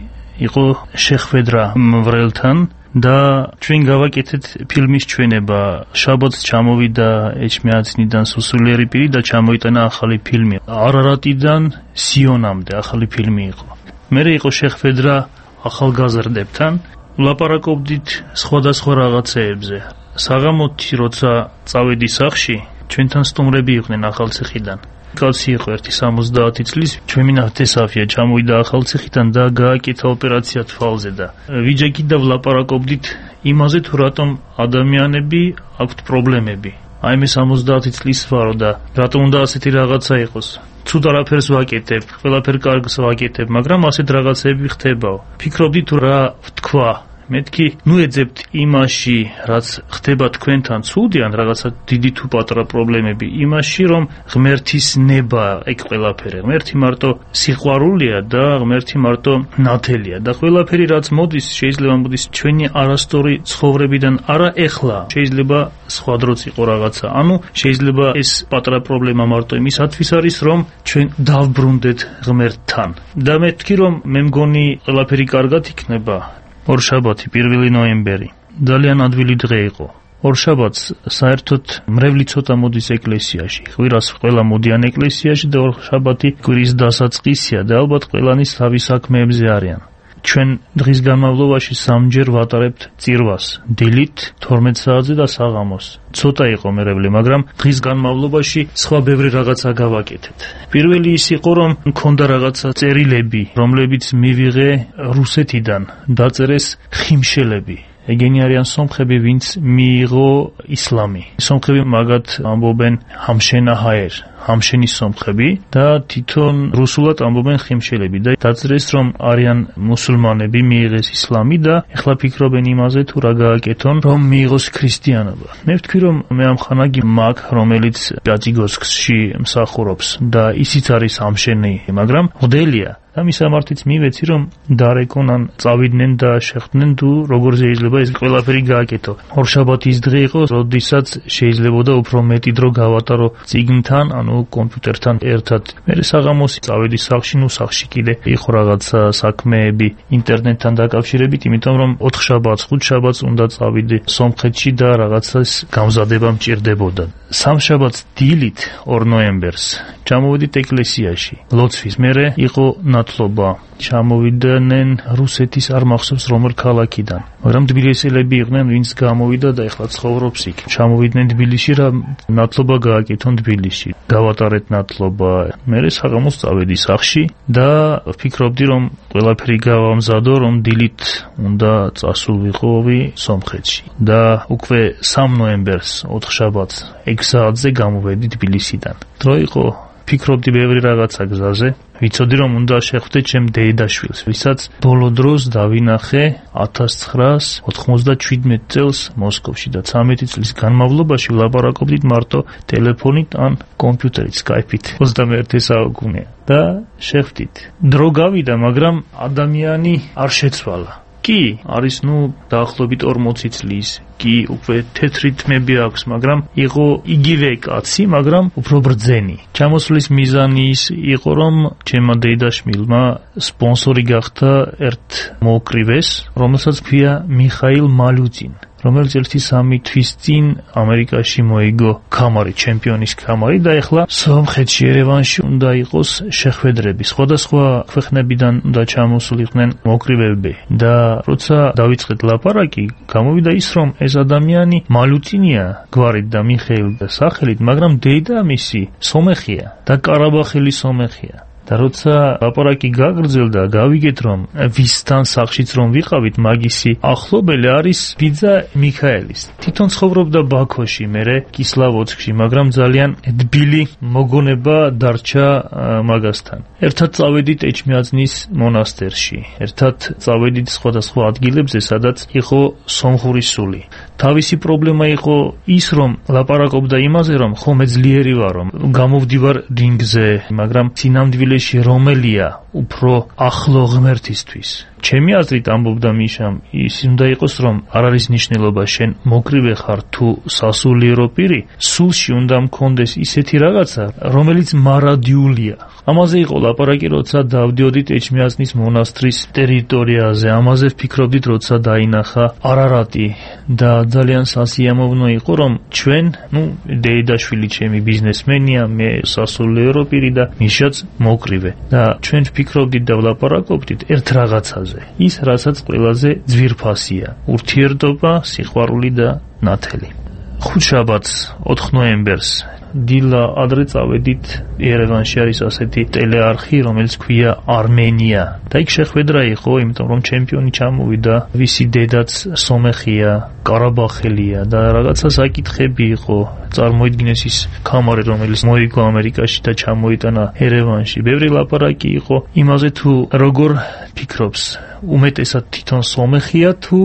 იყო შეხვედრა მვრელთან და ჩვენ გავაკეთეთ ფილმის ჩვენება. შაბათს ჩამოვიდა ეჭმეაცნიდან სუსულიერი პირი და ჩამოიტანა ახალი ფილმი. არარატიდან სიონამდე ახალი ფილმი იყო. მერე იყო შეხვედრა ახალგაზრდებთან, ვლაპარაკობდით სხვადასხვა რაღაცეებზე. საღამოთი როცა წავედი სახლში, ჩვენთან სტუმრები იყვნენ ახალციხიდან. კაცი იყო 70 წლის, ჩვენი ნახტესავია ჩამოვიდა ახალციხიდან და გააკეთა ოპერაცია თვალზე და ვიჯექით და ვლაპარაკობდით იმაზე თუ რატომ ადამიანები აქვთ პრობლემები. აი მე 70 წლის ვარო და რატომ უნდა ასეთი რაღაცა იყოს? ცუდ არაფერს ვაკეთებ, ყველაფერ კარგს ვაკეთებ, მაგრამ ასეთ რაღაცები ხდებაო. ფიქრობდი თუ რა ვთქვა. მეთქი, ნუ ეძებთ იმაში, რაც ხდება თქვენთან ცუდი ან რაღაცა დიდი თუ პატარა პრობლემები, იმაში რომ ღმერთის ნება ეგ ყველაფერი. ღმერთი მარტო სიყვარულია და ღმერთი მარტო ნათელია და ყველაფერი რაც მოდის, შეიძლება მოდის ჩვენი არასწორი ცხოვრებიდან, არა ეხლა, შეიძლება სხვა დროც იყო რაღაცა. ანუ შეიძლება ეს პატარა პრობლემა მარტო იმისათვის არის, რომ ჩვენ დავბრუნდეთ ღმერთთან. და მეთქი, რომ მე მგონი ყველაფერი კარგად იქნება. ორშაბათი 1 ნოემბერი ძალიან ადვილი დღე იყო. ორშაბათს საერთოდ მრევლი ცოტა მოდის ეკლესიაში. ღვირას ყველა მოდიან ეკლესიაში და ორშაბათი კვირის დასაწყისია და ალბათ ყველანი თავის საქმეებზე არიან. ჩვენ დღის განმავლობაში სამჯერ ვატარებთ წირვას, დილით 12 საათზე და საღამოს. ცოტა იყო მერევლი, მაგრამ დღის განმავლობაში სხვა ბევრი რაღაცა გავაკეთეთ. პირველი ის იყო, რომ მქონდა რაღაცა წერილები, რომლებიც მივიღე რუსეთიდან, დაწერეს ხიმშელები. ეგენი არიან სომხები, ვინც მიიღო ისლამი. სომხები მაგათ ამბობენ ჰამშენაჰაერ, ჰამშენის სომხები და თვითონ რუსულად ამბობენ ხიმშელები და დაწერეს, რომ არიან მუსულმანები, მიიღეს ისლამი და ეხლა ფიქრობენ იმაზე თუ რა გააკეთონ, რომ მიიღოს ქრისტიანობა. მე ვთქვი, რომ მე ამხანაგი მაგ, რომელიც პიატიგორსკში მსახურობს და ისიც არის ჰამშენი, მაგრამ ღვდელია. და მის ამართიც მივეცი, რომ დარეკონ ან წავიდნენ და შეხვდნენ თუ როგორ შეიძლება ეს ყველაფერი გააკეთო. ორშაბათის დღე იყო, როდესაც შეიძლებოდა უფრო მეტი დრო გავატარო წიგნთან, ანუ კომპიუტერთან ერთად. მე საღამოს წავედი სახლში, ნუ სახლში კიდე იყო რაღაცა საქმეები ინტერნეტთან დაკავშირებით, იმიტომ რომ 4 შაბათს, 5 შაბათს უნდა წავიდე სომხეთში და რაღაცას გამზადება მჭირდებოდა. სამშაბათს დილით 2 ნოემბერს ჩამოვედით ეკლესიაში. ლოცვის მერე იყო ნათლობა. ჩამოვიდნენ რუსეთის არ მახსოვს რომელ ქალაქიდან, მაგრამ თბილისელები იყვნენ, ვინც გამოვიდა და ეხლა ცხოვრობს იქ. ჩამოვიდნენ თბილისში, რა ნათლობა გააკეთონ თბილისში. გავატარეთ ნათლობა. მერე საღამოს წავედი სახლში და ვფიქრობდი, რომ ყველაფერი გავამზადო, რომ დილით უნდა წასულიყავი სომხეთში. და უკვე 3 ნოემბერს 4 შაბათს 6 საათზე გამოვედი თბილისიდან. დრო იყო, ფიქრობდი ბევრი რაღაცა გზაზე. ვიცოდი, რომ უნდა შეხვდე ჩემ დედაშვილს, ვისაც ბოლო დროს დავინახე 1997 წელს მოსკოვში და 13 წლის განმავლობაში ვლაპარაკობდით მარტო ტელეფონით ან კომპიუტერით, სკაიპით. 21 საუკუნეა და შეხვდით. დრო გავიდა, მაგრამ ადამიანი არ შეცვალა. კი, არის დაახლოებით 40 წლის. კი, უკვე თეთრი თმები აქვს, მაგრამ იყო იგივე კაცი, მაგრამ უფრო ბრძენი. ჩამოსვლის მიზანი ის იყო, რომ ჩემმა დედაშვილმა სპონსორი გახდა ერთ მოკრივეს, რომელსაც ქვია მიხაილ მალუძინ, რომელიც 1-3 თვის წინ ამერიკაში მოიგო ქამარი, ჩემპიონის ქამარი და ეხლა სომხეთში, ერევანში უნდა იყოს შეხვედრები. სხვადასხვა ქვეყნებიდან უნდა ჩამოსულიყვნენ მოკრივეები და როცა დავიწყეთ ლაპარაკი, გამოვიდა ის, რომ ეს ადამიანი მალუწინია გვარით და მიხეილ და სახელით, მაგრამ დედამისი სომეხია და კარაბახელი სომეხია. და როცა ლაპარაკი გაგრძელდა, გავიგეთ, რომ ვისთან სახლშიც რომ ვიყავით, მაგისი ახლობელი არის ბიძა მიქაელის. თვითონ ცხოვრობდა ბაქოში, მერე კისლავოდსკში, მაგრამ ძალიან თბილი მოგონება დარჩა მაგასთან. ერთად წავედით ეჭმიածნის მონასტერში, ერთად წავედით სხვადასხვა ადგილებზე, სადაც იყო სომხური სული. თავისი პრობლემა იყო ის, რომ ლაპარაკობდა იმაზე, რომ ხომ ძლიერი ვარ, რომ გამოვდივარ რინგზე, მაგრამ სინამდვილეში რომელია უფრო ახლო ღმერთისთვის. ჩემი აზრით ამბობდა მიშამ, ის უნდა იყოს, რომ არ არის ნიშნულობა შენ მოკრივე ხარ თუ სასულიერო პირი, სულში უნდა მქონდეს ისეთი რაღაცა, რომელიც მარადიულია. ამაზე იყო ლაპარაკი, როცა დავდიოდით ეჩმიածნის მონასტრის ტერიტორიაზე, ამაზე ვფიქრობდით, როცა დაინახა არარატი და ძალიან სასიამოვნო იყო, რომ ჩვენ, დეიდაშვილი ჩემი ბიზნესმენია, მე სასულიერო პირი და მიშაც მოკრივე და ჩვენ ვფიქრობდით და ვლაპარაკობდით ერთ რაღაცაზე, ის რასაც ყველაზე ძვირფასია, ურთიერთობა, სიყვარული და ნათელი. ხუთშაბათს 4 ნოემბერს დილა ადრე წავედით ერევანში არის ასეთი ტელეარხი, რომელიც ქვია არმენია და იქ შეხვედრა იყო, იმიტომ რომ ჩემპიონი ჩამოვიდა, ვისი დედაც სომეხია, ყარაბახელია და რაღაცა საკითხები იყო. წარმოიდგინეს ის ქამარი, რომელიც მოიგო ამერიკაში და ჩამოიტანა ერევანში. ბევრი ლაპარაკი იყო იმაზე, თუ როგორ ფიქრობს, უმეტესად თვითონ სომეხია თუ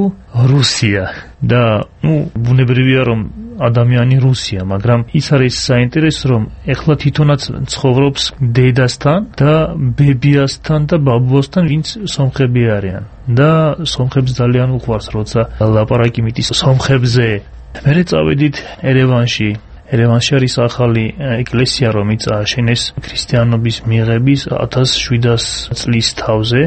რუსია და ბუნებრივია რომ ადამიანი რუსია, მაგრამ ის არის საინტერესო, რომ ეხლა თვითონაც ცხოვრობს დედასთან და ბებიასთან და ბაბუასთან, ვინც სომხები არიან და სომხებს ძალიან უყვარს, როცა ლაპარაკი მიტის სომხებზე. მერე წავედით ერევანში. ერევანში არის ახალი ეკლესია, რომელიც ააშენეს ქრისტიანობის მიღების 1700 წლის თავზე.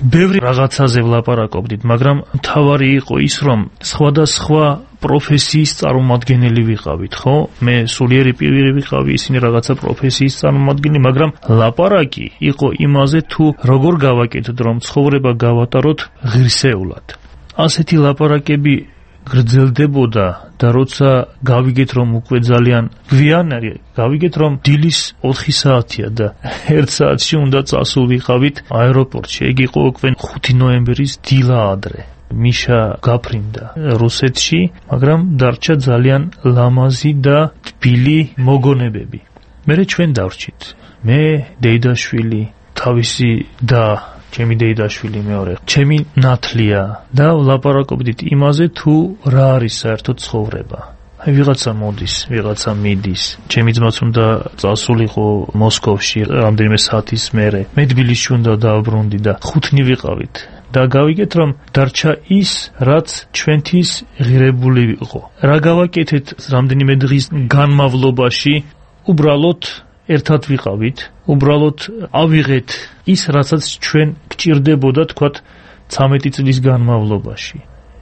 ბევრი რაღაცაზე ვლაპარაკობდით, მაგრამ მთავარი იყო ის, რომ სხვადასხვა პროფესიის წარმომადგენელი ვიყავით, ხო? მე სულიერი პირი ვიყავი, ისინი რაღაცა პროფესიის წარმომადგენელი, მაგრამ ლაპარაკი იყო იმაზე, თუ როგორ გავაკეთოთ, რომ ცხოვრება გავატაროთ ღირსეულად. ასეთი ლაპარაკები გრძელდებოდა და როცა გავიგეთ, რომ უკვე ძალიან გვიანია, გავიგეთ, რომ დილის 4 საათია და 1 საათში უნდა წასულიყავით აეროპორტში. ეგ იყო უკვე 5 ნოემბერის დილა ადრე. მიშა გაფრინდა რუსეთში, მაგრამ დარჩა ძალიან ლამაზი და თბილი მოგონებები. მერე ჩვენ დავრჩით. მე, დეიდაშვილი, თავისი და ჩემი დეიდაშვილი მეორე, ჩემი ნათლია და ვლაპარაკობდით იმაზე, თუ რა არის საერთოდ ცხოვრება. ვიღაცა მოდის, ვიღაცა მიდის. ჩემი ძმაც უნდა წასულიყო მოსკოვში რამდენიმე საათის მერე. მე თბილისში უნდა დავბრუნდი და 5 ვიყავით. და გავიგეთ, რომ დარჩა ის, რაც ჩვენთვის ღირებული იყო. რა გავაკეთეთ რამდენიმე დღის განმავლობაში, უბრალოდ ერთად ვიყავით, უბრალოდ ავიღეთ ის, რასაც ჩვენ გჭირდებოდა, თქვათ, 13 წლის განმავლობაში.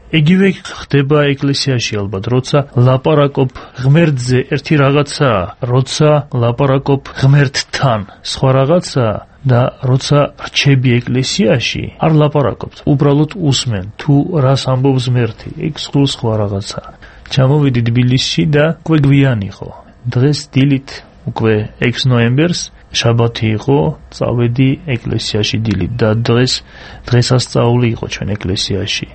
ეგივე ხდება ეკლესიაში ალბათ, როცა ლაპარაკობ ღმერთზე ერთი რაღაცაა, როცა ლაპარაკობ ღმერთთან სხვა რაღაცაა და როცა რჩები ეკლესიაში, არ ლაპარაკობთ, უბრალოდ უსმენ, თუ რას ამბობს ღმერთი, ეგ სხვა რაღაცაა. ჩამოვიდი თბილისში და უკვე გვიან იყო. დღეს დილით უკვე 6 ნოემბერს შაბათი იყო, წავედი ეკლესიაში დილით და დღესასწაული იყო ჩვენ ეკლესიაში.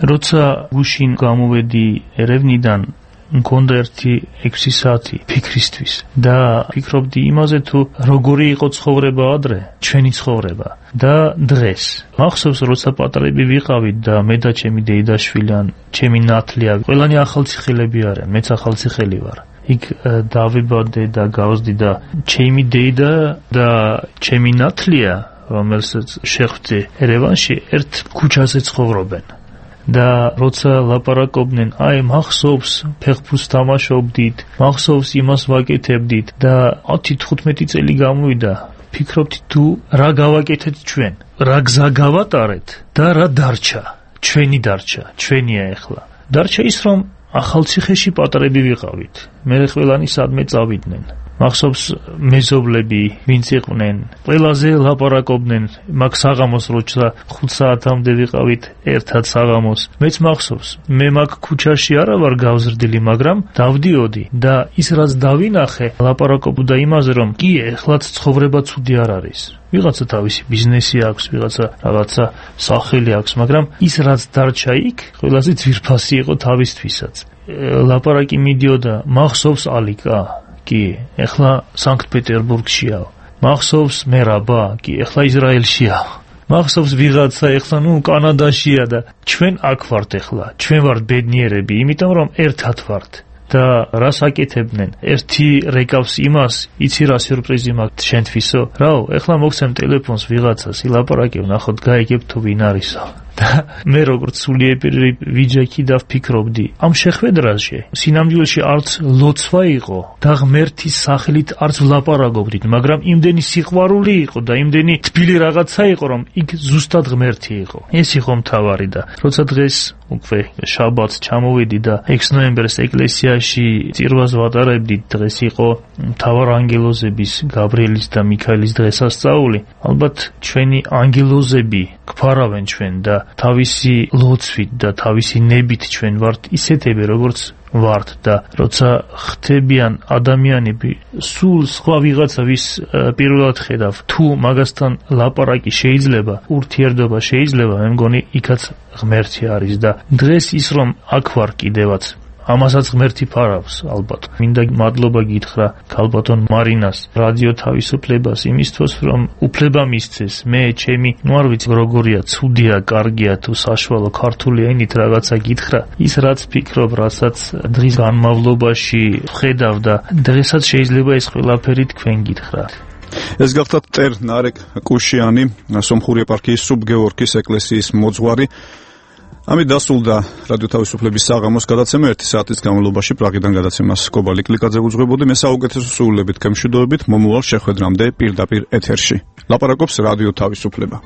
როცა გუშინ გამოვედი ერევნიდან, მქონდა ერთი 6 საათი ფიქრისთვის და ფიქრობდი იმაზე, თუ როგორი იყო ცხოვრება ადრე, ჩვენი ცხოვრება და დღეს. მახსოვს, როცა პატარები ვიყავით და მე და ჩემი დეიდაშვილი, ჩემი ნათლია, ყველანი ახალციხელები არიან, მეც ახალციხელი ვარ. იქ დავიბადე და გავზდი და ჩემი დეიდა და ჩემი ნათლია, რომელსაც შეხვდი ერევანში, ერთ ქუჩაზე ცხოვრობენ. და როცა ლაპარაკობდნენ, მახსოვს ფეხბურთს თამაშობდით, მახსოვს იმას ვაკეთებდით და 10-15 წელი გამოვიდა. ფიქრობთ, თუ რა გავაკეთეთ ჩვენ, რა გზა გავატარეთ და რა დარჩა, ჩვენია ეხლა. დარჩა ის, რომ ახალციხეში პატარები ვიყავით. მე ყველანი სადმე წავიდნენ. მახსოვს მეზობლები, ვინც იყვნენ, ყველაზე ლაპარაკობდნენ, მაგ საღამოს როცა 5 საათამდე ვიყავით ერთად საღამოს. მეც მახსოვს, მე მაგ ქუჩაში არა ვარ გავზრდილი, მაგრამ დავდიოდი და ის რაც დავინახე, ლაპარაკობდა იმაზე, რომ კი, ეხლაც ცხოვრება ცუდი არ არის. ვიღაცა თავისი ბიზნესი აქვს, ვიღაცა რაღაცა სახელი აქვს, მაგრამ ის რაც დარჩა იქ, ყველაზე ძვირფასი იყო თავისთვისაც. ლაპარაკი მიდიოდა, მახსოვს ალიკა, კი, ეხლა სანქტ-პეტერბურგშია. მახსოვს მერაბა, კი, ეხლა ისრაელშია. მახსოვს ვიღაცა, ეხლა კანადაშია და ჩვენ აქ ვართ ეხლა. ჩვენ ვართ ბედნიერები, იმიტომ რომ ერთად ვართ. და რას აკეთებდნენ? ერთი რეკავს იმას, იცი რა სიურპრიზი მაქვს შენთვისო? რაო, ეხლა მოგცემ ტელეფონს ვიღაცას, ილაპარაკებ, ნახოთ გაიგებ თუ ვინ არისო. და მე როგორც სულიერი ვიჯექი და ვფიქრობდი ამ შეხვედრაში სინამდვილეში არც ლოცვა იყო და ღმერთის სახელით არც ვლაპარაკობდით, მაგრამ იმდენი სიყვარული იყო და იმდენი თბილი რაღაცა იყო, რომ იქ ზუსტად ღმერთი იყო. ეს იყო მთავარი და როცა დღეს უკვე შაბათს ჩამოვედი და 6 ნოემბერს ეკლესიაში წირვას ვატარებდით, დღეს იყო მთავარანგელოზების გაბრიელის და მიქაელის დღესასწაული. ალბათ ჩვენი ანგელოზები გვფარავენ ჩვენ და თავისი ლოცვით და თავისი ნებით ჩვენ ვართ ისეთები, როგორც ვართ და როცა ხდებიან ადამიანები სულ სხვა ვიღაცა ვის პირველად ხედავ, თუ მაგასთან ლაპარაკი შეიძლება, ურთიერთობა შეიძლება, მე მგონი იქაც ღმერთი არის და დღეს ის რომ აქ ვარ კიდევაც ამასაც ღმერთი ფარავს ალბათ. მინდა მადლობა გითხრა ქალბატონ მარინას, რადიო თავისუფლებას იმისთვის, რომ უფლება მისცეს. მე ჩემი არ ვიცი როგორია, ცუდია, კარგია თუ საშუალო ქართული ენით რაღაცა გითხრა, ის რაც ფიქრობ, რასაც დღის განმავლობაში ხედავ და დღესაც შეიძლება ეს ყველაფერი თქვენ გითხრათ. ეს გახდათ წერ ნარეკ კუშიანი, სომხური ეპარქიის სუბგეორგის ეკლესიის მოძღვარი. ამით დასრულდა რადიო თავისუფლების საღამოს გადაცემა 1 საათის განმავლობაში პრაღიდან გადაცემას კობალი კლიკაძე უძღვებოდი. მე საუკეთესო სულებით გემშვიდობებით მომავალ შეხვედრამდე პირდაპირ ეთერში. ლაპარაკობს რადიო თავისუფლება.